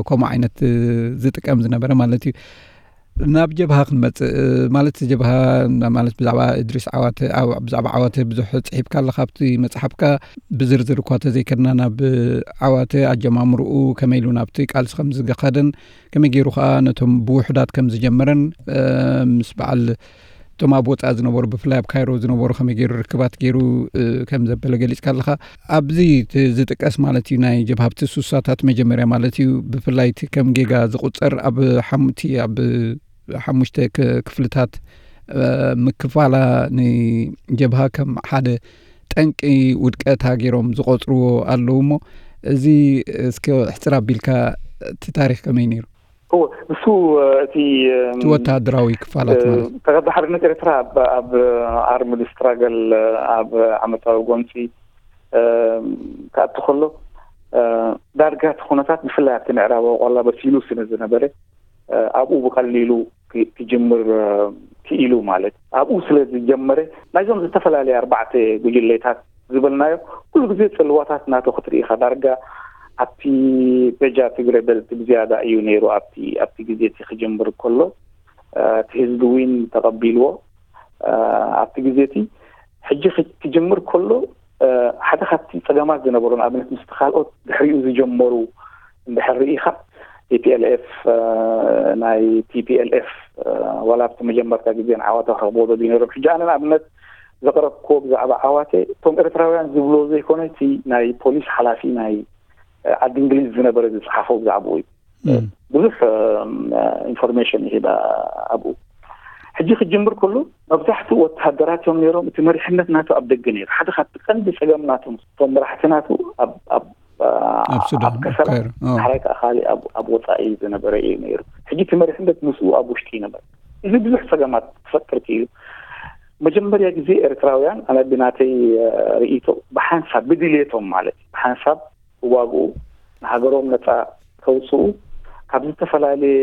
ከምኡ ዓይነት ዝጥቀም ዝነበረ ማለት እዩ። ናብ ጀብሃ ክንመጽእ ማለት ጀብሃ ማለት ብዛዕባ እድሪስ ዓዋተ ብዛዕባ ዓዋተ ብዙሕ ጽሒፍካ ኣለካ ኣብቲ መጽሓፍካ። ብዝርዝር እኳ ተዘይከድና ናብ ዓዋተ ኣጀማምርኡ ከመይ ኢሉ ናብቲ ቃልሲ ከም ዝኸደን ከመይ ገይሩ ከዓ ነቶም ብውሑዳት ከም ዝጀመረን ምስ በዓል እቶም ኣብ ወፃኢ ዝነበሩ ብፍላይ ኣብ ካይሮ ዝነበሩ ከመይ ገይሩ ርክባት ገይሩ ከም ዘበለ ገሊፅካ ኣለካ። ኣብዚ ዝጥቀስ ማለት እዩ ናይ ጀብሃ ኣብቲ ሱሳታት መጀመርያ ማለት እዩ ብፍላይ እቲ ከም ጌጋ ዝቁፀር ኣብ ሓሙቲ ኣብ ሓሙሽተ ክፍልታት ምክፋላ ንጀብሃ ከም ሓደ ጠንቂ ውድቀታ ገይሮም ዝቆፅርዎ ኣለዉ እሞ እዚ እስከ ሕፅር ኣቢልካ እቲ ታሪክ ከመይ ነይሩ? እወ፣ ንሱ እቲ እቲ ወተሃደራዊ ክፋላት ማለት ተጋድሎ ሓርነት ኤርትራ ኣብ ኣርምድ ስትራገል ኣብ ዓመታዊ ጎንፂ ክኣቱ ከሎ ዳርጋ እቲ ኩነታት ብፍላይ ኣብቲ ምዕራባዊ ቆላ በሲሉ ስለ ዝነበረ ኣብኡ ብቀሊሉ ክጅምር ክኢሉ ማለት ኣብኡ ስለ ዝጀመረ ናይዞም ዝተፈላለዩ ኣርባዕተ ጉጅሌታት ዝበልናዮ ኩሉ ግዜ ፅልዋታት ናቶ ክትርኢ ኢኻ ዳርጋ ኣብቲ በጃ ትግረ በልት ብዝያዳ እዩ ነይሩ ኣብቲ ኣብቲ ግዜ እቲ ክጅምር ከሎ እቲ ህዝቢ ዊን ተቐቢልዎ ኣብቲ ግዜ እቲ ሕጂ ክጅምር ከሎ ሓደ ካብቲ ፀገማት ዝነበሩ ንኣብነት ምስ ካልኦት ድሕሪኡ ዝጀመሩ እንድሕር ርኢኻ ቲፒኤልኤፍ ናይ ቲፒኤልኤፍ ዋላ ኣብቲ መጀመርታ ግዜ ንዓዋተ ክረኽብዎ ደልዩ ነይሮም። ሕጂ ኣነ ንኣብነት ዘቕረብክዎ ብዛዕባ ዓዋተ እቶም ኤርትራውያን ዝብልዎ ዘይኮነ እቲ ናይ ፖሊስ ሓላፊ ናይ ዓዲ እንግሊዝ ዝነበረ ዝፅሓፎ ብዛዕባኡ እዩ። ብዙሕ ኢንፎርሜሽን ይህባ ኣብኡ። ሕጂ ክጅምር ከሎ መብዛሕትኡ ወተሃደራት እዮም ነይሮም። እቲ መሪሕነት ናቱ ኣብ ደገ ነይሩ። ሓደ ካብቲ ቀንዲ ፀገም ናቶም እቶም መራሕቲ ናቱ ኣብ ኣብ ኣብ ሱዳን ኣብ ከሰላ ካይሮ። ዳሕራይ ከዓ ካሊእ ኣብ ወፃኢ ዝነበረ እዩ ነይሩ። ሕጂ እቲ መሪሕነት ምስኡ ኣብ ውሽጢ ይነበረ። እዚ ብዙሕ ፀገማት ክፈጥር ክኢሉ። መጀመርያ ግዜ ኤርትራውያን ኣነ ብናተይ ርእይቶ ብሓንሳብ ብድልየቶም ማለት እዩ ብሓንሳብ ክዋግኡ ንሃገሮም ነፃ ከውፅኡ ካብ ዝተፈላለየ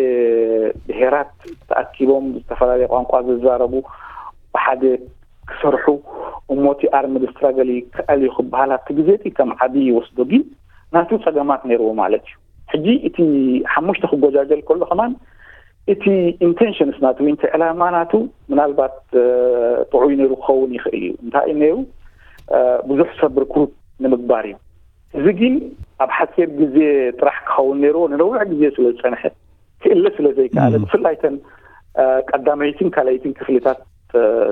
ብሄራት ተኣኪቦም ዝተፈላለየ ቋንቋ ዝዛረቡ ብሓደ ክሰርሑ እሞ እቲ ኣርምድ ስትራገል ይከኣል እዩ ክበሃል ኣብቲ ግዜ እቲ ከም ዓብዪ ይወስዶ ግን ናቱ ፀገማት ነይርዎ ማለት እዩ። ሕጂ እቲ ሓሙሽተ ክጎጃጀል ከሎ ከማን እቲ ኢንቴንሽንስ ናቱ ወይ እቲ ዕላማ ናቱ ምናልባት ጥዑይ ነይሩ ክኸውን ይኽእል እዩ። እንታይ እዩ ነይሩ ብዙሕ ሰብ ርክሩት ንምግባር እዩ። እዚ ግን ኣብ ሓፂር ግዜ ጥራሕ ክኸውን ነይርዎ ንነዊሕ ግዜ ስለ ዝፀንሐ ክእለ ስለ ዘይከኣለ ብፍላይ ተን ቀዳመይትን ካልኣይትን ክፍልታት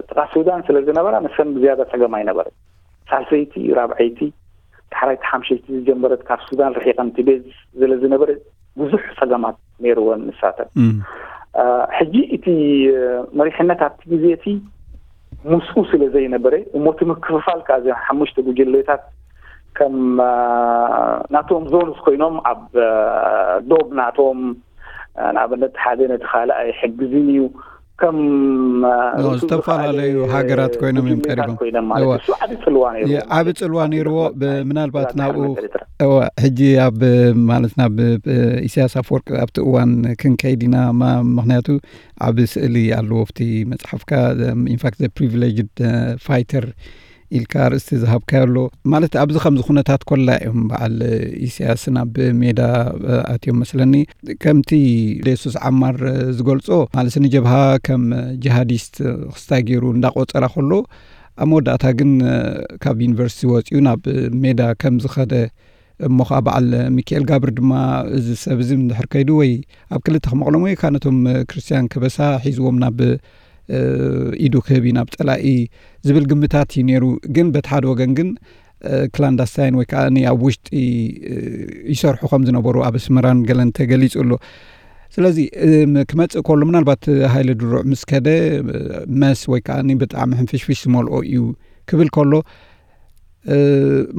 ጥቓ ሱዳን ስለ ዝነበራ ንሰን ብዝያዳ ፀገም ኣይነበረ። ሳልሰይቲ ራብዐይቲ ዳሕራይቲ ሓምሸይቲ ዝጀመረት ካብ ሱዳን ርሒቐን ትቤዝ ስለ ዝነበረ ብዙሕ ፀገማት ነይርወን ንሳተን። ሕጂ እቲ መሪሕነት ኣብቲ ግዜ እቲ ምስኡ ስለ ዘይነበረ እሞ እቲ ምክፍፋል ከዓ እዚኦም ሓሙሽተ ጉጅሌታት ከም ናቶም ዞንስ ኮይኖም ኣብ ዶብ ናቶም ንኣብነት ሓደ ነቲ ካልእ ኣይሕግዝን እዩ ከም ዝተፈላለዩ ሃገራት ኮይኖም እዮም ቀሪቦም። ኮይኖም ማለት እሱ ዓቢ ጽልዋ ነይሩ። ዓቢ ጽልዋ ነይርዎ። ምናልባት ናብኡ እወ፣ ሕጂ ኣብ፣ ማለት፣ ናብ ኢሳያስ ኣፈወርቂ ኣብቲ እዋን ክንከይድ ኢና። ማ-፣ ምኽንያቱ ዓቢ ስእሊ ኣለዎ ኣብቲ መጽሓፍካ፣ ኢንፋክት ዘ ፕሪቪሌጅድ ፋይተር ኢልካ ኣርእስቲ ዝሃብካዮ ኣሎ። ማለት፣ ኣብዚ ከምዚ ኩነታት ኮላ እዮም በዓል ኢሳያስ ናብ ሜዳ ኣትዮም መስለኒ። ከምቲ ሌሱስ ዓማር ዝገልጾ፣ ማለት፣ ንጀብሃ ከም ጂሃዲስት ክስታይ ገይሩ እንዳቆጸራ ከሎ፣ ኣብ መወዳእታ ግን ካብ ዩኒቨርሲቲ ወጺኡ ናብ ሜዳ ከም ዝኸደ እሞ ኸዓ በዓል ሚካኤል ጋብር ድማ፣ እዚ ሰብ እዚ እንድሕር ከይዱ ወይ ኣብ ክልተ ክመቕሎም ወይ ከዓ ነቶም ክርስትያን ከበሳ ሒዝዎም ናብ፣ እ፣ ኢዱ ክህብ እዩ ናብ ጸላኢ ዝብል ግምታት እዩ ነይሩ። ግን በቲ ሓደ ወገን ግን፣ እ፣ ክላንዳስታይን ወይ ከዓ ኣብ ውሽጢ፣ እ፣ ይሰርሑ ከም ዝነበሩ ኣብ ኣስመራን ገለን ተገሊጹ ኣሎ። ስለዚ፣ እ፣ ም-፣ ክመጽእ ከሎ ምናልባት ሃይለ ድሩዕ ምስ ከደ፣ እ፣ መስ ወይ ከዓ ብጣዕሚ ሕንፍሽፍሽ ዝመልኦ እዩ ክብል ከሎ፣ እ፣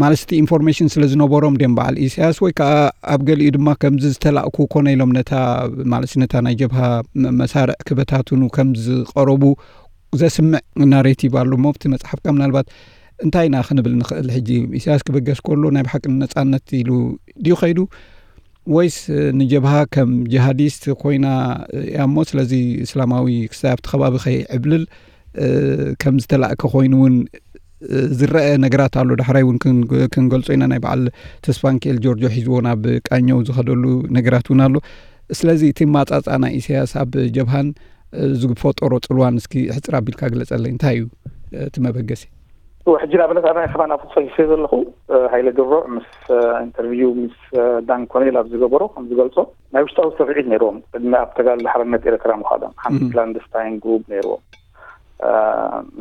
ማለት እቲ ኢንፎርሜሽን ስለ ዝነበሮም ድዮም በዓል ኢሳያስ፣ ወይ ከዓ ኣብ ገሊኡ ድማ ከምዚ ዝተላእኩ ኮነ ኢሎም ነታ፣ ማለት ነታ ናይ ጀብሃ መ-፣ መሳርዕ ክበታትኑ ከም ዝቐረቡ ዘስምዕ ናሬቲቭ ኣሎ። እሞ ኣብቲ መጽሓፍካ ምናልባት እንታይ ኢና ክንብል ንኽእል? ሕጂ ኢሳያስ ክበገስ ከሎ ናይ ብሓቂ ንነጻነት ኢሉ ድዩ ከይዱ፣ ወይስ ንጀብሃ ከም ጂሃዲስት ኮይና እያ እሞ፣ ስለዚ እስላማዊ ክስታይ ኣብቲ ከባቢ ከይዕብልል፣ እ፣ ከም ዝተላእከ ኮይኑ እውን፣ እ፣ ዝረአ ነገራት ኣሎ። ዳሕራይ እውን ክን-፣ ክንገልጾ ኢና። ናይ በዓል ተስፋንኪኤል ጆርጆ ሒዝዎ ናብ ቃኘው ዝኸደሉ ነገራት እውን ኣሎ። ስለዚ እቲ ማጻጻ ናይ ኢሳያስ ኣብ ጀብሃን፣ እ፣ ዝፈጠሮ ጽልዋን እስኪ ሕጽር ኣቢልካ ግለጸለይ። እንታይ እዩ፣ እ፣ እቲ መበገሲ? እወ፣ ሕጂ ንኣብነት ኣነ ከማን ኣብኡ ጽሒፈ ዘለኹ፣ እ፣ ሃይለ ድሮዕ ምስ፣ እ፣ ኢንተርቪው ምስ፣ እ፣ ዳን ኮኔል ኣብ ዝገበሮ ከም ዝገልጾ፣ ናይ ውሽጣዊ ስርዒት ነይርዎም። ቅድሚ ኣብ ተጋድሎ ሓርነት ኤርትራ ምዃዶም፣ ሓንቲ እም። ክላንደስታይን ግሩፕ ነይርዎም። እ፣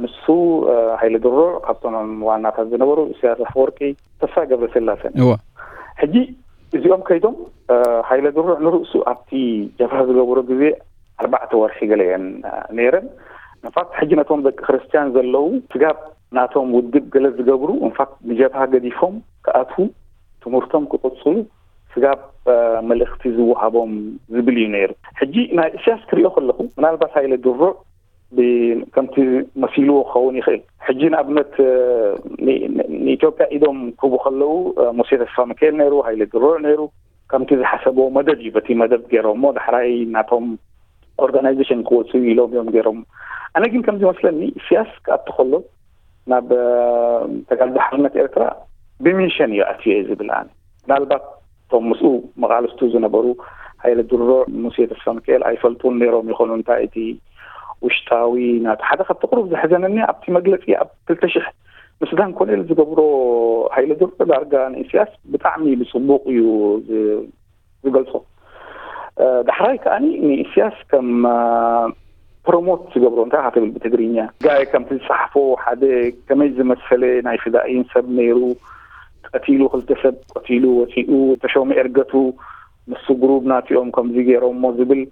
ንሱ፣ እ፣ ሃይለ ድሮዕ ካብቶም ዋናታት ዝነበሩ፣ ኢሳያስ ኣፈወርቂ፣ ተስፋ ገብረስላሴን። እወ። ሕጂ እዚኦም ከይዶም፣ እ፣ ሃይለ ድሮዕ ንርእሱ ኣብቲ ጀብሃ ዝገበሮ ግዜ ኣርባዕተ ወርሒ ገለ እየን፣ እ፣ ነይረን። ንፋት ሕጂ ነቶም ደቂ ክርስትያን ዘለዉ ስጋብ ናቶም ውድብ ገለ ዝገብሩ፣ እንፋት ንጀብሃ ገዲፎም ክኣትዉ፣ ትምህርቶም ክቕጽሉ፣ ስጋብ፣ እ፣ መልእኽቲ ዝወሃቦም ዝብል እዩ ነይሩ። ሕጂ ናይ ኢሳያስ ክሪኦ ከለኹ፣ ምናልባት ሃይለ ድሩዕ ብ-፣ ከምቲ መሲልዎ ክኸውን ይኽእል። ሕጂ ንኣብነት፣ እ፣ ን-፣ ን-፣ ንኢትዮጵያ ኢዶም ክህቡ ከለዉ፣ እ፣ ሙሴ ተስፋ ሚካኤል ነይሩ፣ ሃይለ ድሩዕ ነይሩ። ከምቲ ዝሓሰብዎ መደብ እዩ በቲ መደብ ገይሮሞ፣ ዳሕራይ ናቶም ኦርጋናይዜሽን ክወፅኡ ኢሎም እዮም ገይሮም። ኣነ ግን ከምዚ መስለኒ፣ ኢሳያስ ክኣቱ ከሎ ናብ፣ እ፣ ተጋድሎ ሓርነት ኤርትራ ብሚሽን እዩ ኣትዩ እየ ዝብል ኣነ። ምናልባት እቶም ምስኡ መቓልስቱ ዝነበሩ ሃይለ ድሮ፣ ሙሴ ተስፋ ሚካኤል ኣይፈልጡን ነይሮም ይኾኑ። እንታይ እቲ ውሽጣዊ ናቲ ሓደ ካብቲ ቁሩብ ዘሕዘነኒ ኣብቲ መግለፂ ኣብ ክልተ ሽሕ ምስ ዳን ኮኔል ዝገብሮ ሃይለ ድሮ ዳርጋ ንኢሳያስ ብጣዕሚ ብፅቡቕ እዩ ዝ-፣ ዝገልጾ። እ፣ ዳሕራይ ከኣኒ ንኢሳያስ ከም፣ እ፣ ፕሮሞት ዝገብሮ እንታይ ኢኻ ትብል ብትግርኛ? ጋይ ከምቲ ዝጸሓፎ ሓደ ከመይ ዝመሰለ ናይ ፍዳኢን ሰብ ነይሩ፣ ቀቲሉ፣ ክልተ ሰብ ቀቲሉ ወጺኡ፣ ተሾመ ኤርገቱ ምስ ግሩብ ናቲኦም ከምዚ ገይሮሞ ዝብል፣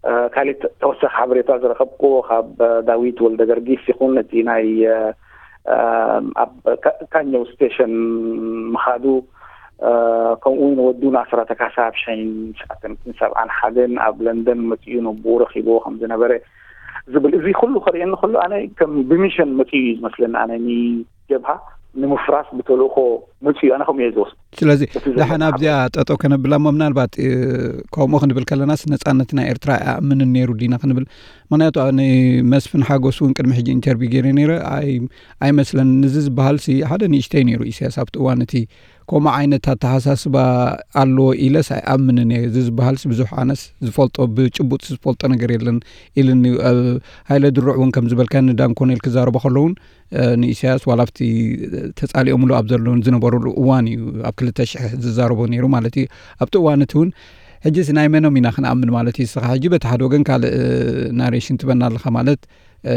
እ፣ ካሊእ ተ-፣ ተወሳኺ ሓበሬታ ዝረኸብክዎ ካብ፣ እ፣ ዳዊት ወልደ ገርጊስ ይኹን እቲ ናይ፣ እ፣ እ፣ ኣብ ካ-፣ ካኘው ስቴሽን ምኻዱ፣ እ፣ ከምኡ እውን ወዱ ንኣስራተ ካሳ ኣብ ሽሕን ትሽዓተ ሚእትን ሰብዓን ሓደን ኣብ ለንደን መጺኡ ነቦኡ ረኺብዎ ከም ዝነበረ ዝብል፣ እዚ ኩሉ ከርእየኒ ከሎ ኣነ ከም ብሚሽን መጺኡ እዩ ዝመስለኒ። ኣነ ንጀብሃ ንምፍራስ ብተልእኾ መጺኡ፣ ኣነ ከምኡ እየ ዝወስዶ። ስለዚ በቲ ዘሎ ደሓን ኣብዚኣ ማሕበር። ጠጠው ከነብላ እሞ፣ ምናልባት፣ እ፣ ከምኡ ክንብል ከለናስ ነጻነት ናይ ኤርትራ ኣይኣምንን ነይሩ ዲና ክንብል? ምኽንያቱ ኣነ መስፍን ሓጎስ እውን ቅድሚ ሕጂ ኢንተርቪው ገይረ ነይረ፣ ኣይ-፣ ኣይመስለንን። እዚ ዝበሃል ሲ ሓደ ንእሽተይ ነይሩ ኢሳያስ ኣብቲ እዋን እቲ ከምኡ ዓይነት ኣተሓሳስባ ኣለዎ ኢለስ ኣይኣምንን እየ። እዚ ዝበሃልስ ብዙሕ ኣነስ ዝፈልጦ፣ ብጭቡጥ ዝፈልጦ ነገር የለን ኢልኒ። ኣብ ሃይለ ድሩዕ እውን ከም ዝበልካ ንዳን ኮኔል ክዛረቦ ከሎ እውን፣ እ፣ ንኢሳያስ ዋላ ኣብቲ ተጻሊኦምሉ ኣብ ዘለውን ዝነበሩሉ እዋን እዩ ኣብ ክልተ ሽሕ ዝዛረቦ ነይሩ ማለት እዩ። ኣብቲ እዋን እቲ እውን ሕጂስ ናይ መኖም ኢና ክንኣምን ማለት እዩ? እስኻ ሕጂ በቲ ሓደ ወገን ካልእ፣ እ፣ ናሬሽን ትበና ኣለኻ ማለት፣ እ፣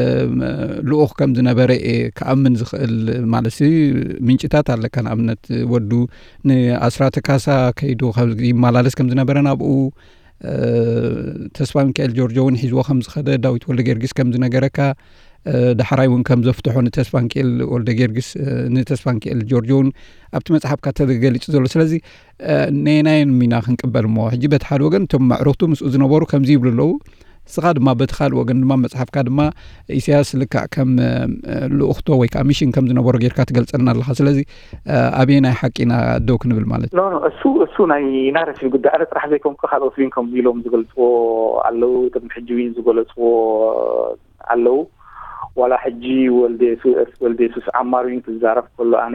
ልኡኽ ከም ዝነበረ እየ ክኣምን ዝኽእል ማለት ሲ ምንጭታት ኣለካ። ንኣብነት ወዱ ንኣስራተ ካሳ ከይዱ ከም ይመላለስ ከም ዝነበረ ናብኡ፣ እ፣ ተስፋ ሚካኤል ጆርጆ እውን ሒዝዎ ከም ዝኸደ፣ ዳዊት ወልደ ጊዮርጊስ ከም ዝነገረካ፣ እ፣ ዳሕራይ እውን ከም ዘፍትሖ ንተስፋ ሚካኤል ወልደ ጊዮርጊስ፣ እ፣ ንተስፋ ሚካኤል ጆርጆ እውን ኣብቲ መጽሓፍካ ተገሊጹ ዘሎ። ስለዚ፣ እ፣ ነየናየን ኢና ክንቅበል እሞ? ሕጂ በቲ ሓደ ወገን እቶም መዕርኽቱ ምስኡ ዝነበሩ ከምዚ ይብሉ ኣለዉ፣ ንስኻ ድማ በቲ ካልእ ወገን ድማ መጽሓፍካ ድማ ኢሳያስ ልክዕ ከም ልኡኽቶ ወይ ከዓ ሚሽን ከም ዝነበሮ ጌርካ ትገልጸና ኣለኻ። ስለዚ ኣበየናይ ሓቂ ኢና ደው ክንብል ማለት እዩ? እሱ እሱ ናይ ናረቲቭ ጉዳይ ኣነ ጥራሕ ዘይኮንኩ ካልኦት ዊን ከም ኢሎም ዝገልፅዎ ኣለዉ። እቶም ሕጂ ዊን ዝገለፅዎ ኣለዉ። ዋላ ሕጂ ወልደ የሱስ ዓማር ዊን ክዛረብ ከሎ ኣነ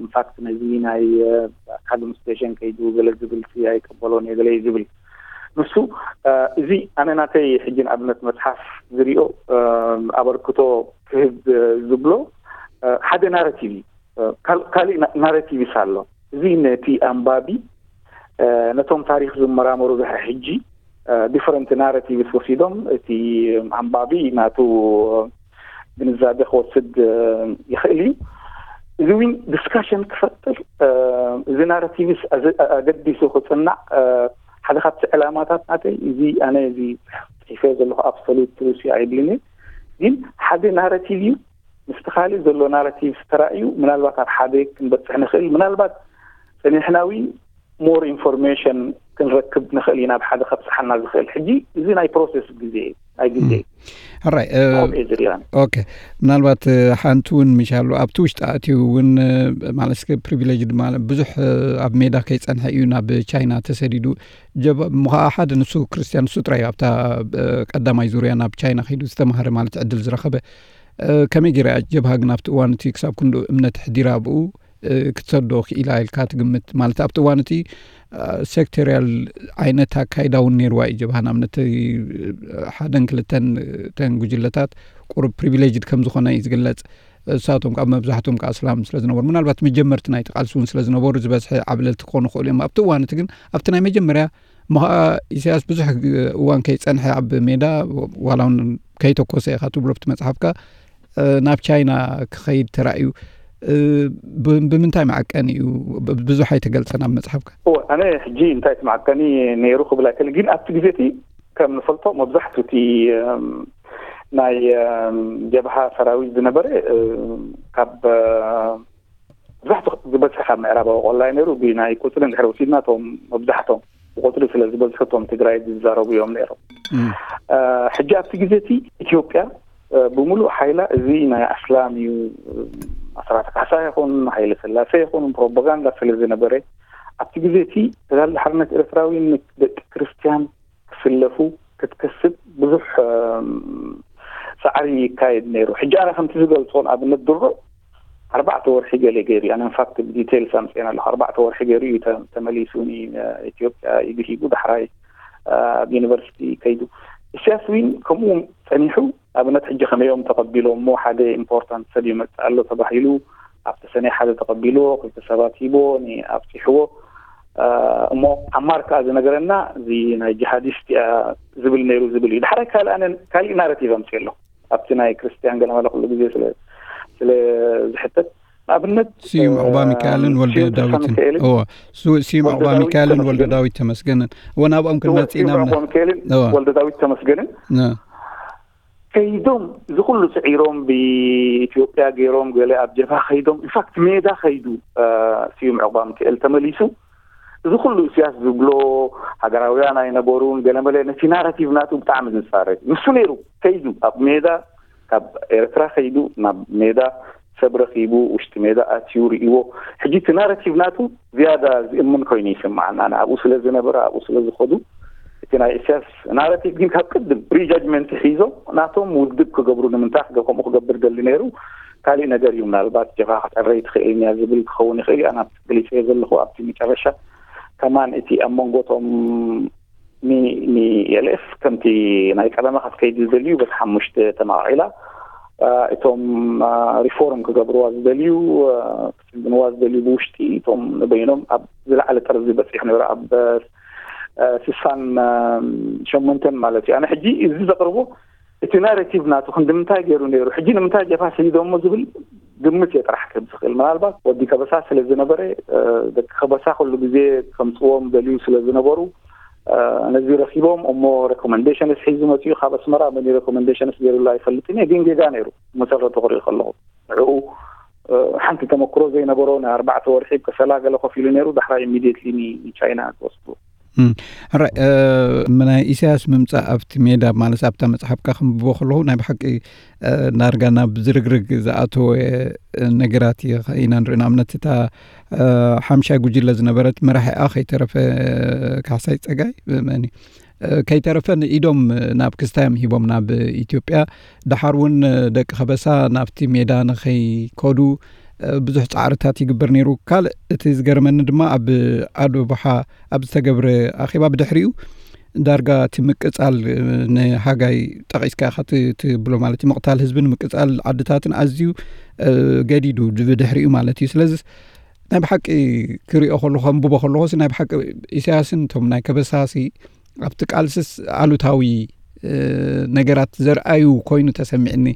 ኢንፋክት ነዚ ናይ ካግም ስቴሽን ከይዱ ገለ ዝብል ኣይቀበሎን እየ ገለ ዝብል ንሱ እዚ ኣነ ናተይ ሕጂ ንኣብነት መፅሓፍ ዝሪኦ ኣበርክቶ ክህብ ዝብሎ ሓደ ናረቲቭ እዩ። ካሊእ ናረቲቭስ ኣሎ። እዚ ነቲ ኣንባቢ ነቶም ታሪክ ዝመራመሩ ድሕሪ ሕጂ ዲፈረንት ናረቲቭስ ወሲዶም እቲ ኣንባቢ ናቱ ግንዛቤ ክወስድ ይኽእል እዩ። እዚ ዊን ዲስካሽን ክፈጥር እዚ ናረቲቭስ ኣገዲሱ ክፅናዕ ሓደ ካብቲ ዕላማታት ናተይ እዚ ኣነ እዚ ፅሒፈ ዘለኹ ኣብሶሉት ትሩስ ኣይብልን እዩ። ግን ሓደ ናረቲቭ እዩ። ምስቲ ካልእ ዘሎ ናረቲቭ ተራእዩ ምናልባት ኣብ ሓደ ክንበፅሕ ንኽእል። ምናልባት ፀኒሕና ዊን ሞር ኢንፎርሜሽን ክንረክብ ንኽእል ኢና። ኣብ ሓደ ከብፅሓና ዝኽእል ሕጂ እዚ ናይ ፕሮሰስ ግዜ ናይ ግዜ ሕራይ ዝሪኦ ኦኬ። ምናልባት ሓንቲ እውን ምሻሉ ኣብቲ ውሽጢ ኣትዩ እውን ማለት እስከ ፕሪቪሌጅ ድማ ብዙሕ ኣብ ሜዳ ከይፀንሐ እዩ ናብ ቻይና ተሰዲዱ። ጀብ ምኸዓ ሓደ ንሱ ክርስቲያን ንሱ ጥራይ ኣብታ ቀዳማይ ዙርያ ናብ ቻይና ከይዱ ዝተማሃረ ማለት ዕድል ዝረኸበ። ከመይ ገይራ እያ ጀብሃ ግን ኣብቲ እዋን እቲ ክሳብ ክንዱ እምነት ሕዲራ ኣብኡ ክትሰዶ ክኢላ ኢልካ ትግምት? ማለት ኣብቲ እዋን እቲ ሴክቶሪያል ዓይነት ኣካይዳ እውን ነይርዋ እዩ ጀብሃ። ንኣብነት ሓደን ክልተን ተን ጉጅለታት ቁሩብ ፕሪቪሌጅድ ከም ዝኾነ እዩ ዝግለጽ። እሳቶም ካብ መብዛሕትኦም ከዓ እስላም ስለ ዝነበሩ ምናልባት መጀመርቲ ናይቲ ቃልሲ እውን ስለ ዝነበሩ ዝበዝሐ ዓብለልቲ ክኾኑ ክኽእሉ እዮም ኣብቲ እዋን እቲ። ግን ኣብቲ ናይ መጀመርያ እሞ ከዓ ኢሳያስ ብዙሕ እዋን ከይጸንሐ ኣብ ሜዳ ዋላ እውን ከይተኮሰ ኢኻ ትብሎ ኣብቲ መጽሓፍካ ናብ ቻይና ክኸይድ ተራእዩ። ብምንታይ መዐቀኒ እዩ? ብዙሕ ኣይተገልጸን ኣብ መጽሓፍካ። ኣነ ሕጂ እንታይ እቲ መዐቀኒ ነይሩ ክብል ኣይክእል፣ ግን ኣብቲ ግዜ እቲ ከም ንፈልጦ መብዛሕቱ እቲ ናይ ጀብሃ ሰራዊት ዝነበረ ካብ መብዛሕቱ ዝበዝሐ ካብ ምዕራባዊ ቆላይ ነይሩ። ብናይ ቁፅሪ እንድሕር ወሲድና እቶም መብዛሕቶም ብቁፅሪ ስለ ዝበዝሑ እቶም ትግራይ ዝዛረቡ እዮም ነይሮም። ሕጂ ኣብቲ ግዜ እቲ ኢትዮጵያ ብምሉእ ሓይላ እዚ ናይ ኣስላም እዩ ኣስራተ ካሕሳ ይኹን ሃይለ ስላሴ ይኹን ፕሮፓጋንዳ ስለ ዝነበረ ኣብቲ ግዜ እቲ ተጋድሎ ሓርነት ኤርትራዊ ንደቂ ክርስትያን ክስለፉ ክትከስብ ብዙሕ ፃዕሪ ይካየድ ነይሩ። ሕጂ ኣነ ከምቲ ዝገልፆ ንኣብነት ድሮ ኣርባዕተ ወርሒ ገለ ገይሩ ኣነ ኢንፋክት ብዲቴይልስ ኣምፅኤን ኣለኹ። ኣርባዕተ ወርሒ ገይሩ እዩ ተመሊሱ ንኢትዮጵያ ኢዱ ሂቡ ዳሕራይ ኣብ ዩኒቨርሲቲ ከይዱ። ኢሳያስ ዊን ከምኡ ጸኒሑ ኣብነት ሕጂ ከመዮም ተቐቢሎ እሞ ሓደ ኢምፖርታንት ሰብ ይመጽእ ኣሎ ተባሂሉ ኣብቲ ሰነ ሓደ ተቐቢልዎ ክልተ ሰባት ሂቦ ኣብፂሕዎ እሞ ዓማር ከዓ ዝነገረና እዚ ናይ ጂሃዲስት እያ ዝብል ነይሩ ዝብል እዩ። ድሓራይ ካልእ ኣነ ካሊእ ናረቲቭ ኣምፅእ ኣሎ ኣብቲ ናይ ክርስትያን ገለመለ ኩሉ ግዜ ስለ ስለ ዝሕተት ንኣብነት ስዩም ዕቑባ ሚካኤልን ወልደ ዳዊትን እዎ ስዩም ዕቑባ ሚካኤልን ወልደ ዳዊት ተመስገንን እዎ ናብኦም ክንመፅእ ኢና። ወልደ ዳዊት ተመስገንን ከይዶም እዚ ኩሉ ስዒሮም ብኢትዮጵያ ገይሮም ገለ ኣብ ጀብሃ ከይዶም ኢንፋክት ሜዳ ከይዱ ስዩም ዕቑባ ሚካኤል ተመሊሱ እዚ ኩሉ እስያስ ዝብሎ ሃገራውያን ኣይነበሩን ገለመለ ነቲ ናራቲቭ ናቱ ብጣዕሚ ዝፃረግ ንሱ ነይሩ ከይዱ ኣብ ሜዳ ካብ ኤርትራ ከይዱ ናብ ሜዳ ሰብ ረኪቡ ውሽጢ ሜዳ ኣትዩ ርእዎ። ሕጂ እቲ ናራቲቭ ናቱ ዝያዳ ዝእምን ኮይኑ ይስምዓና ኣብኡ ስለ ዝነበረ ኣብኡ ስለ ዝኸዱ እቲ ናይ እስያስ ናራቲቭ ግን ካብ ቅድም ፕሪጃጅመንት ሒዞም ናቶም ውድብ ክገብሩ ንምንታይ ከምኡ ክገብር ደሊ ነይሩ ካሊእ ነገር እዩ ምናልባት ጀኻ ክፀረይ ትኽእል እያ ዝብል ክኸውን ይኽእል እዩ ኣና ገሊፀ ዘለኹ ኣብቲ መጨረሻ ከማን እቲ ኣብ መንጎቶም ንኤልኤፍ ከምቲ ናይ ቀዳማ ክትከይድ ዝደልዩ በቲ ሓሙሽተ ተማቒላ እቶም ሪፎርም ክገብርዋ ዝደልዩ ክስግንዋ ዝደልዩ ብውሽጢ እቶም ንበይኖም ኣብ ዝለዓለ ጠርዚ በፂሑ ነይሩ ኣብ ስሳን ሸሞንተን ማለት እዩ። ኣነ ሕጂ እዚ ዘቅርቦ እቲ ናሬቲቭ ናቱ ክንዲ ምንታይ ገይሩ ነይሩ ሕጂ ንምንታይ ጀብሃ ስይዶሞ ዝብል ግምት እየ ጥራሕ ክህብ ዝኽእል። ምናልባት ወዲ ከበሳ ስለ ዝነበረ ደቂ ከበሳ ኩሉ ግዜ ከምፅዎም ደልዩ ስለ ዝነበሩ ነዚ ረኪቦም እሞ ሬኮመንዴሽንስ ሒዙ መፅኡ ካብ ኣስመራ መን ሬኮመንዴሽንስ ገይሩላ ኣይፈልጥን እየ ግን ጌጋ ነይሩ መሰረቱ ክርኢ ከለኹ ንዕኡ ሓንቲ ተመክሮ ዘይነበሮ ናይ ኣርባዕተ ወርሒ ከሰላ ገለ ኮፍ ኢሉ ነይሩ ዳሕራይ ኢሚድየትሊ ንቻይና ክወስዱ ሕራይ፣ ናይ ኢሳያስ ምምፃእ ኣብቲ ሜዳ ማለት ኣብታ መፅሓፍካ ክንብቦ ከለኹ ናይ ብሓቂ ዳርጋ ናብ ዝርግርግ ዝኣተወ ነገራት ኢና ንርኢ። ንኣብነት እታ ሓምሻይ ጉጅለ ዝነበረት መራሒኣ ከይተረፈ ካሕሳይ ፀጋይ መኒ ከይተረፈ ንኢዶም ናብ ክስታዮም ሂቦም ናብ ኢትዮጵያ። ደሓር እውን ደቂ ከበሳ ናብቲ ሜዳ ንኸይከዱ ብዙሕ ፃዕርታት ይግበር ነይሩ። ካልእ እቲ ዝገርመኒ ድማ ኣብ ኣዶ ባሓ ኣብ ዝተገብረ ኣኼባ ብድሕሪኡ ዳርጋ እቲ ምቅፃል ንሃጋይ ጠቒስካ ኢኻ ትብሎ ማለት እዩ። ምቕታል ህዝብን ምቅፃል ዓድታትን ኣዝዩ ገዲዱ ብድሕሪኡ ማለት እዩ። ስለዚ ናይ ብሓቂ ክሪኦ ከለኹ ከንብቦ ከለኹ ናይ ብሓቂ ኢሳያስን እቶም ናይ ከበሳሲ ኣብቲ ቃልስስ ኣሉታዊ ነገራት ዘርኣዩ ኮይኑ ተሰሚዕኒ።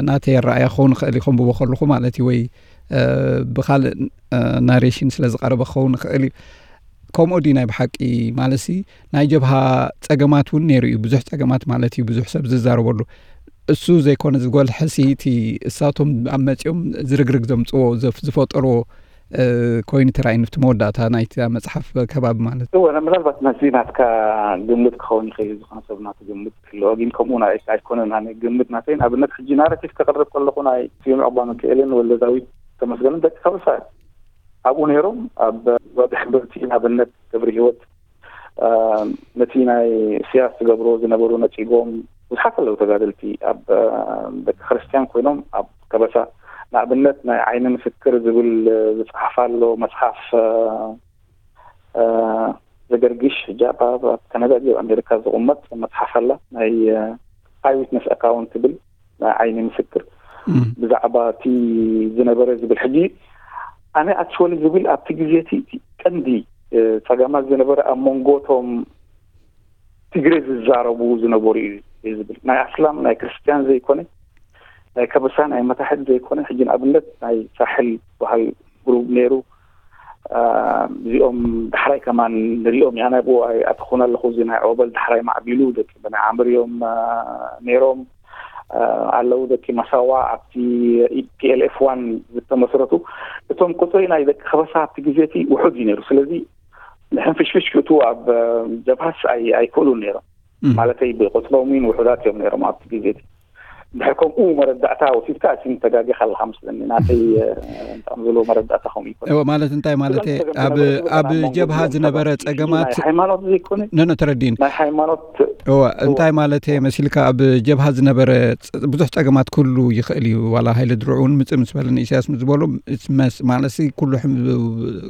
ናተይ ኣረኣያ ክኸውን ይኽእል እዩ ከንብቦ ከለኹ ማለት እዩ፣ ወይ ብካልእ ናሬሽን ስለ ዝቐረበ ክኸውን ይኽእል እዩ። ከምኡ ድዩ ናይ ብሓቂ ማለትሲ ናይ ጀብሃ ጸገማት እውን ነይሩ እዩ፣ ብዙሕ ጸገማት ማለት እዩ፣ ብዙሕ ሰብ ዝዛረበሉ። እሱ ዘይኮነ ዝጎልሐሲ እቲ እሳቶም ኣብ መጺኦም ዝርግርግ ዘምጽዎ ዘፍ- ዝፈጠርዎ ኮይኑ ተራእዩኒ ኣብቲ መወዳእታ ናይቲ መጽሓፍ ከባቢ ማለት እዩ። እወ፣ ምናልባት ናዚ ናትካ ግምት ክኸውን ይኽእል እዩ፣ ዝኾነ ሰብ ናቱ ግምት ክህልዎ፣ ግን ከምኡ ናይ ኣይኮነን። ኣነ ግምት ናተይ ንኣብነት ሕጂ ናራቲቭ ከቕርብ ከለኹ ናይ ስዩም ዕቕባ ሚካኤልን ወልደ ዳዊት ተመስገንን ደቂ ከበሳ ኣብኡ ነይሮም። ኣብ ወዲ ሕምብርቲ ንኣብነት ገብረ ህይወት ነቲ ናይ ኢሳያስ ዝገብርዎ ዝነበሩ ነጺጎም ብዙሓት ኣለዉ ተጋደልቲ ኣብ ደቂ ክርስትያን ኮይኖም ኣብ ከበሳ ንኣብነት ናይ ዓይኒ ምስክር ዝብል ዝጸሓፋ ኣሎ መጽሓፍ ዘገርግሽ ሕጂ ኣብ ካናዳ ኣብ ኣሜሪካ ዝቕመጥ መጽሓፍ ኣላ ናይ ኣይዊትነስ ኣካውንት ትብል ናይ ዓይኒ ምስክር ብዛዕባ እቲ ዝነበረ ዝብል ሕጂ ኣነ ኣክቹዋሊ ዝብል ኣብቲ ግዜ እቲ ቀንዲ ጸገማት ዝነበረ ኣብ መንጎ እቶም ትግሬ ዝዛረቡ ዝነበሩ እዩ ዝብል ናይ ኣስላም ናይ ክርስትያን ዘይኮነ ናይ ከበሳ ናይ መታሕት ዘይኮነ ሕጂ ንኣብነት ናይ ሳሕል በሃል ግሩብ ነይሩ። እዚኦም ዳሕራይ ከማን ንሪኦም ኢና ናብኡ ኣይኣተኹን ኣለኹ። እዚ ናይ ኦበል ዳሕራይ ማዕቢሉ ደቂ በናይ ዓምር እዮም ነይሮም ኣለዉ። ደቂ መሳዋ ኣብቲ ፒኤልኤፍ ዋን ዝተመስረቱ እቶም ቁፅሪ ናይ ደቂ ከበሳ ኣብቲ ግዜ እቲ ውሑድ እዩ ነይሩ። ስለዚ ንሕንፍሽፍሽ ክእትዉ ኣብ ጀብሃስ ኣይክእሉን ነይሮም። ማለተይ ብቁፅሮም እውን ውሑዳት እዮም ነይሮም ኣብቲ ግዜ እቲ። ድሕር ከምኡ መረዳእታ ወሲድካ እሲ ተጋጊኻ ኣለኻ መስለኒ። ናተይ እንታም ዝሎ መረዳእታ ከምኡ ይኮን። እወ፣ ማለት እንታይ ማለት እየ? ኣብ ኣብ ጀብሃ ዝነበረ ጸገማት ሃይማኖት ዘይኮነ ነነ ተረዲን። ናይ ሃይማኖት እወ፣ እንታይ ማለት እየ መሲልካ? ኣብ ጀብሃ ዝነበረ ብዙሕ ጸገማት ክህሉ ይኽእል እዩ። ዋላ ሃይለ ድርዑ እውን ምጽእ ምስ በለኒ ኢሳያስ ምስ ዝበሎ ማለት ኩሉ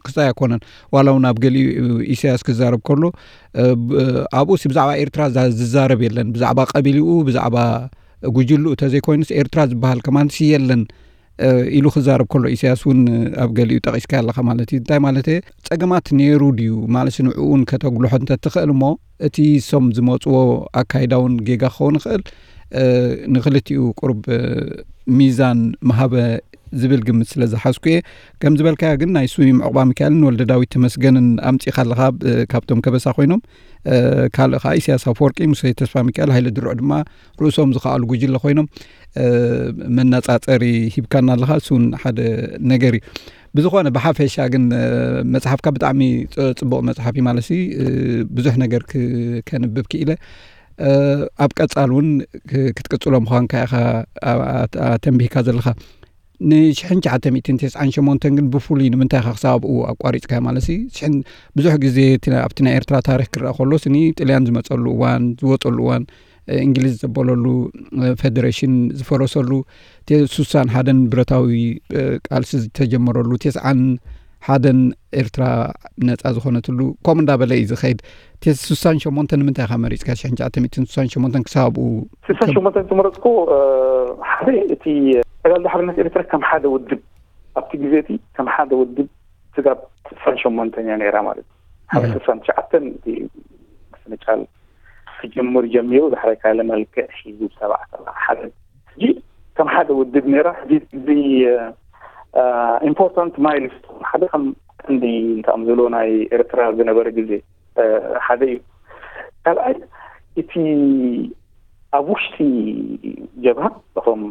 ክስታይ ኣይኮነን። ዋላ እውን ኣብ ገሊኡ ኢሳያስ ክዛረብ ከሎ ኣብኡሲ ብዛዕባ ኤርትራ ዝዛረብ የለን። ብዛዕባ ቀቢልኡ ብዛዕባ ጉጅልኡ ተዘይኮይኑስ ኤርትራ ዝበሃል ከማንሲ የለን ኢሉ ክዛረብ ከሎ ኢሳያስ እውን ኣብ ገሊኡ ጠቒስካ ኣለኻ ማለት እዩ። እንታይ ማለት እየ? ጸገማት ነይሩ ድዩ ማለት ንዕኡን ከተጉልሖ እንተትኽእል እሞ እቲ ሶም ዝመፅዎ ኣካይዳ እውን ጌጋ ክኸውን ይኽእል። ንክልቲኡ ቁሩብ ሚዛን መሃበ ዝብል ግምት ስለ ዝሓዝኩ እየ። ከም ዝበልካዮ ግን ናይ ስዩም ዕቑባ ሚካኤልን ወልደ ዳዊት ተመስገንን ኣምፂኻ ኣለኻ፣ ካብቶም ከበሳ ኮይኖም። ካልእ ከዓ ኢሳያስ ኣፈወርቂ፣ ሙሴ ተስፋ ሚካኤል፣ ሃይለ ድርዑ ድማ ርእሶም ዝኸኣሉ ጉጅለ ኮይኖም መነፃፀሪ ሂብካና ኣለኻ። እሱ እውን ሓደ ነገር እዩ። ብዝኾነ ብሓፈሻ ግን መፅሓፍካ ብጣዕሚ ፅቡቕ መፅሓፍ እዩ ማለት ብዙሕ ነገር ከንብብ ክኢለ። ኣብ ቀፃል እውን ክትቅፅሎ ምዃንካ ኢኻ ተንቢህካ ዘለኻ። ንሽሕን ትሽዓተ ሚእትን ተስዓን ሸሞንተን ግን ብፍሉይ ንምንታይ ኢኻ ክሳብ ኣብኡ ኣቋሪፅካ ማለት ብዙሕ ግዜ ኣብቲ ናይ ኤርትራ ታሪክ ክረአ ከሎ ስኒ ጥልያን ዝመፀሉ እዋን ዝወፀሉ እዋን እንግሊዝ ዘበለሉ ፈደሬሽን ዝፈረሰሉ ሱሳን ሓደን ብረታዊ ቃልሲ ዝተጀመረሉ ተስዓን ሓደን ኤርትራ ነፃ ዝኾነትሉ ከምኡ እንዳበለ እዩ ዝኸይድ። ሱሳን ሸሞንተን ንምንታይ ኢኻ መሪፅካ ሽሕን ትሽዓተ ሚእትን ሱሳን ሸሞንተን ክሳብ ኣብኡ? ሱሳን ሸሞንተን ዝመረፅኩ ሓደ እቲ ተጋድሎ ሓርነት ኤርትራ ከም ሓደ ውድብ ኣብቲ ግዜ እቲ ከም ሓደ ውድብ ስጋብ ሱሳን ሸሞንተን እያ ነይራ ማለት ሓደ ሱሳን ትሽዓተን እቲ ምፍንጫል ክጅምር ጀሚሩ ዳሕራይ ካለ መልክዕ ሒዙ ብሰባዕተ ሓደ ሕጂ ከም ሓደ ውድብ ነይራ። ሕጂ እዚ ኢምፖርታንት ማይልስቶን ሓደ ከም ቀንዲ እንታም ዝብሎ ናይ ኤርትራ ዝነበረ ግዜ ሓደ እዩ። ካልኣይ እቲ ኣብ ውሽጢ ጀብሃ እቶም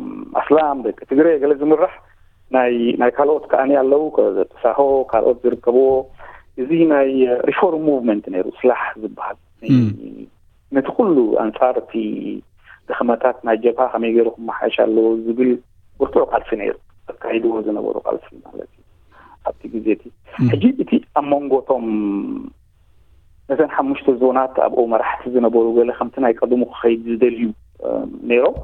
ኣስላም ደቂ ትግረ ገለ ዝምራሕ ናይ ካልኦት ከኣኒ ኣለዉ ተሳሆ ካልኦት ዝርከብዎ እዚ ናይ ሪፎርም ሙቭመንት ነይሩ፣ ስላሕ ዝበሃል። ነቲ ኩሉ ኣንጻር እቲ ድኽመታት ናይ ጀብሃ ከመይ ገይሩ ክመሓየሽ ኣለዎ ዝብል ብርቱዕ ቃልሲ ነይሩ፣ ኣካይድዎ ዝነበሩ ቃልሲ ማለት እዩ። ኣብቲ ግዜ እቲ ሕጂ እቲ ኣብ መንጎቶም ነተን ሓሙሽተ ዞናት ኣብኡ መራሕቲ ዝነበሩ ገለ ከምቲ ናይ ቀድሙ ክኸይድ ዝደልዩ ነይሮም።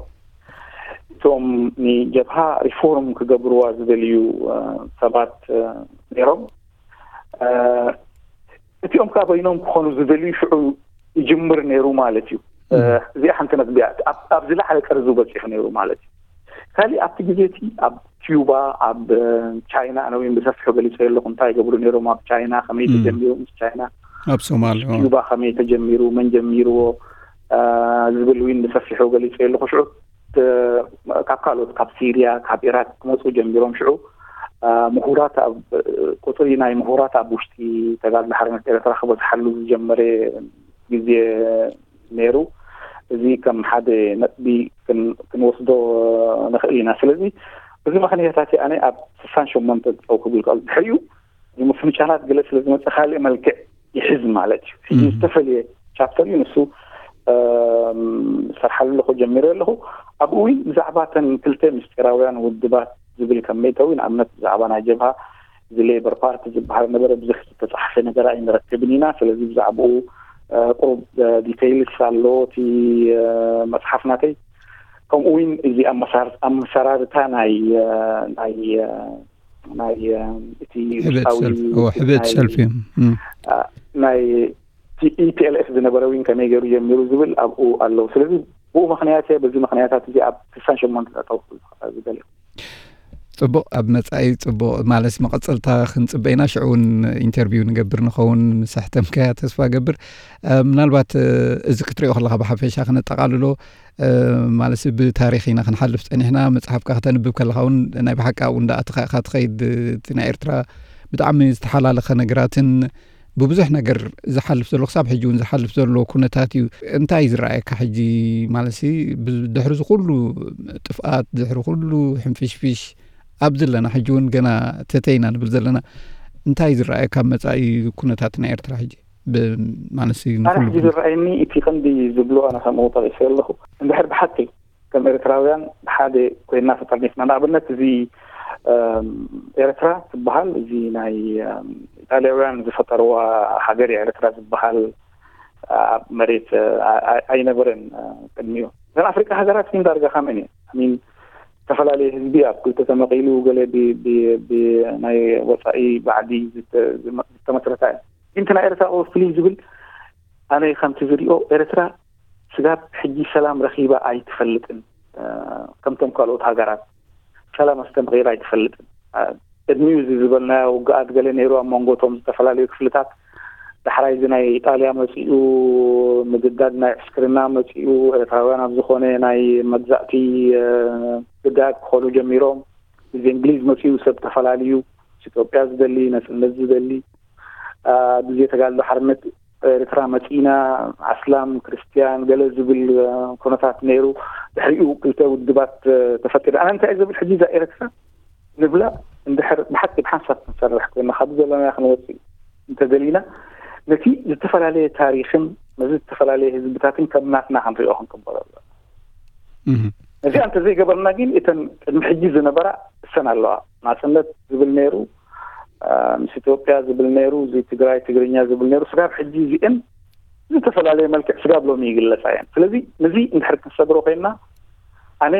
እቶም ንጀብሃ ሪፎርም ክገብርዋ ዝደልዩ ሰባት ነይሮም። እቲኦም ከዓ በይኖም ክኾኑ ዝደልዩ ሽዑ ይጅምር ነይሩ ማለት እዩ። እዚኣ ሓንቲ ነጥቢያ ኣብ ዝለዓለ ጠርዙ በፂሑ ነይሩ ማለት እዩ። ካሊእ ኣብቲ ግዜ እቲ ኣብ ኪዩባ፣ ኣብ ቻይና፣ ኣነ እውን ብሰፊሑ ገሊፀ ኣለኹ እንታይ ይገብሩ ነይሮም ኣብ ቻይና፣ ከመይ ተጀሚሩ ምስ ቻይና፣ ኣብ ሶማል ኪዩባ ከመይ ተጀሚሩ፣ መን ጀሚርዎ ዝብል እውን ብሰፊሑ ገሊፀ ኣለኹ። ሽዑ ካብ ካልኦት ካብ ሲርያ ካብ ኢራቅ ክመፁ ጀሚሮም ሽዑ ምሁራት ኣብ ቁፅሪ ናይ ምሁራት ኣብ ውሽጢ ተጋድሎ ሓርነት ኤርትራ ክበዝሓሉ ዝጀመረ ግዜ ነይሩ። እዚ ከም ሓደ ነጥቢ ክንወስዶ ንኽእል ኢና። ስለዚ እዚ ምኽንያታት ኣነ ኣብ ስሳን ሸሞንተ ጠው ክብል ከሎ ድሕሪኡ ምፍንጫላት ገለ ስለ ዝመፀ ካልእ መልክዕ ይሕዝ ማለት እዩ። ሕጂ ዝተፈለየ ቻፕተር እዩ ንሱ ሰርሓሉ ኣለኹ ጀሚረ ኣለኹ። ኣብኡ እውን ብዛዕባ ተን ክልተ ምስጢራውያን ውድባት ዝብል ከም መእተዊ ንኣብነት ብዛዕባ ናይ ጀብሃ እዚ ሌበር ፓርቲ ዝበሃል ነበረ ብዙሕ ዝተፃሓፈ ነገር ኣይንረክብን ኢና። ስለዚ ብዛዕባኡ ቁሩብ ዲቴይልስ ኣሎ እቲ መፅሓፍ ናተይ። ከምኡ እውን እዚ ኣመሰራርታ ናይ ናይ ናይ እቲ ሕብእቲ ሰልፊ ናይ ኢፒኤልኤፍ ዝነበረ እውን ከመይ ገይሩ ጀሚሩ ዝብል ኣብኡ ኣለዉ። ስለዚ ብኡ ምክንያት እየ በዚ ምክንያታት እዚ ኣብ ስሳን ሸሞንተ ጠጠው ዝደልዮ። ፅቡቕ፣ ኣብ መፃኢ ፅቡቕ ማለት መቐፀልታ ክንፅበ ኢና። ሽዑ እውን ኢንተርቪው ንገብር ንኸውን ምስ ኣሕተምካያ ተስፋ ገብር። ምናልባት እዚ ክትሪኦ ከለካ ብሓፈሻ ክነጠቓልሎ ማለት ብታሪክ ኢና ክንሓልፍ ፀኒሕና። መፅሓፍካ ከተንብብ ከለካ እውን ናይ ብሓቂ ኣብኡ እንዳኣተካ ኢካ ትኸይድ። እቲ ናይ ኤርትራ ብጣዕሚ ዝተሓላለኸ ነገራትን ብብዙሕ ነገር ዝሓልፍ ዘሎ ክሳብ ሕጂ እውን ዝሓልፍ ዘሎ ኩነታት እዩ። እንታይ ዝረኣየካ ሕጂ ማለት ድሕሪ ዝኩሉ ጥፍኣት ድሕሪ ኩሉ ሕንፍሽፍሽ ኣብ ዘለና ሕጂ እውን ገና ተተይና ንብል ዘለና እንታይ ዝረኣየካ መፃኢ ኩነታት ናይ ኤርትራ ሕጂ? ማለት ኣነ ሕጂ ዝረኣየኒ እቲ ቀንዲ ዝብሎ ኣነ ከምኡ ጠቂሰ ኣለኹ እንድሕር ብሓቂ ከም ኤርትራውያን ብሓደ ኮይና ተጠርኒፍና ንኣብነት እዚ ኤርትራ ትበሃል እዚ ናይ ኢጣልያውያን ዝፈጠርዋ ሃገር ኤርትራ ዝበሃል ኣብ መሬት ኣይነበረን ቅድሚኡ። እተን ኣፍሪቃ ሃገራት ግን ዳርጋ ከምአን እየ ሚን ዝተፈላለየ ህዝቢ ኣብ ክልተ ተመቒሉ ገለ ናይ ወፃኢ ባዕዲ ዝተመስረታ እየ። ግን እቲ ናይ ኤርትራ ፍልይ ዝብል ኣነ ከምቲ ዝሪኦ ኤርትራ ስጋብ ሕጂ ሰላም ረኺባ ኣይትፈልጥን። ከምቶም ካልኦት ሃገራት ሰላም ኣስተምቒራ ኣይትፈልጥን። ቅድሚኡ እዚ ዝበልናዮ ውግኣት ገለ ነይሩ ኣብ መንጎ እቶም ዝተፈላለዩ ክፍልታት። ዳሕራይ እዚ ናይ ኢጣልያ መፂኡ፣ ምግዳድ ናይ ዕስክርና መፂኡ፣ ኤርትራውያን ኣብ ዝኾነ ናይ መግዛእቲ ግዳያት ክኾኑ ጀሚሮም። እዚ እንግሊዝ መፂኡ ሰብ ተፈላልዩ፣ ኢትዮጵያ ዝደሊ፣ ነፅነት ዝደሊ፣ ግዜ ተጋድሎ ሓርነት ኤርትራ መፂና ኣስላም ክርስትያን ገለ ዝብል ኩነታት ነይሩ። ድሕሪኡ ክልተ ውድባት ተፈጢሩ። ኣነ እንታይ ዝብል ሕጂ እዛ ኤርትራ ንብላ እንድሕር ብሓቂ ብሓንሳብ ክንሰርሕ ኮይና ካብ ዘለና ክንወፅእ እንተደሊና ነቲ ዝተፈላለየ ታሪክን ነዚ ዝተፈላለየ ህዝብታትን ከም ናትና ክንሪኦ ክንቅበሎ ኣሎ። ነዚኣ እንተዘይገበርና ግን እተን ቅድሚ ሕጂ ዝነበራ እሰን ኣለዋ። ናፅነት ዝብል ነይሩ፣ ምስ ኢትዮጵያ ዝብል ነይሩ፣ እዚ ትግራይ ትግርኛ ዝብል ነይሩ። ስጋብ ሕጂ እዚአን ዝተፈላለየ መልክዕ ስጋብ ሎሚ ይግለፃ እየን። ስለዚ ነዚ እንድሕር ክንሰግሮ ኮይንና ኣነ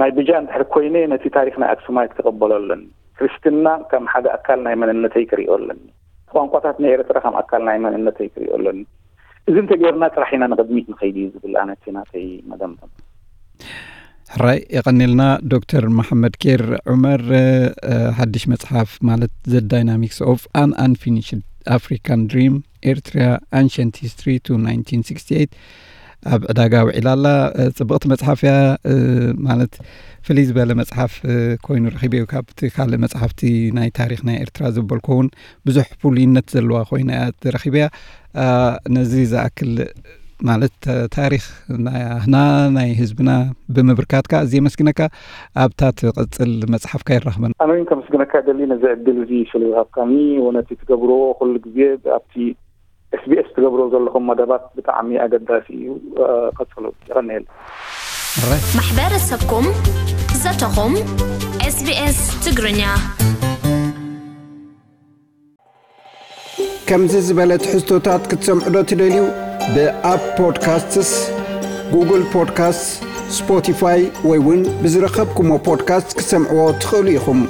ናይ ብጃ እንድሕር ኮይነ ነቲ ታሪክ ናይ ኣክሱማይት ክቕበሎ ኣለኒ። ክርስትና ከም ሓደ ኣካል ናይ መንነተይ ክሪኦ ኣለኒ። ቋንቋታት ናይ ኤርትራ ከም ኣካል ናይ መንነተይ ክሪኦ ኣለኒ። እዚ እንተገይርና ጥራሕ ኢና ንቕድሚት ንኸይድ እዩ ዝብል ኣነ እቲ ናተይ መደምደም። ሕራይ የቐኒልና ዶክተር መሓመድ ኬር ዑመር። ሓድሽ መፅሓፍ ማለት The Dynamics of an Unfinished African Dream, Eritrea, Ancient History to nineteen sixty-eight ኣብ ዕዳጋ ውዒላ ኣላ። ፅብቕቲ መፅሓፍ እያ። ማለት ፍልይ ዝበለ መፅሓፍ ኮይኑ ረኺበዮ ካብቲ ካልእ መፅሓፍቲ ናይ ታሪክ ናይ ኤርትራ ዘበልኮ እውን ብዙሕ ፍሉይነት ዘለዋ ኮይና እያ ተረኺበያ። ነዚ ዝኣክል ማለት ተ- ታሪኽ ናህና ናይ ህዝብና ብምብርካትካ ኣዝየ መስግነካ። ኣብታ ትቐጽል መጽሓፍካ ይራኽበና። ኣነ እውን ከመስግነካ ደሊ ነዚ ዕድል እዚ ስለ ዝሃብካኒ። ወነቲ ትገብርዎ ኩሉ ግዜ ኣብቲ SBS ትገብሮ ዘለኹም መደባት ብጣዕሚ ኣገዳሲ እዩ። ቀጽሉ። ይቐንየል። ማሕበረሰብኩም ዘተኹም SBS ትግርኛ። ከምዚ ዝበለ ትሕዝቶታት ክትሰምዑ ዶ ትደልዩ? ብኣፕ ፖድካስትስ፣ ጉግል ፖድካስትስ፣ ስፖቲፋይ ወይ እውን ብዝረኸብኩሞ ፖድካስት ክትሰምዕዎ ትኽእሉ ኢኹም።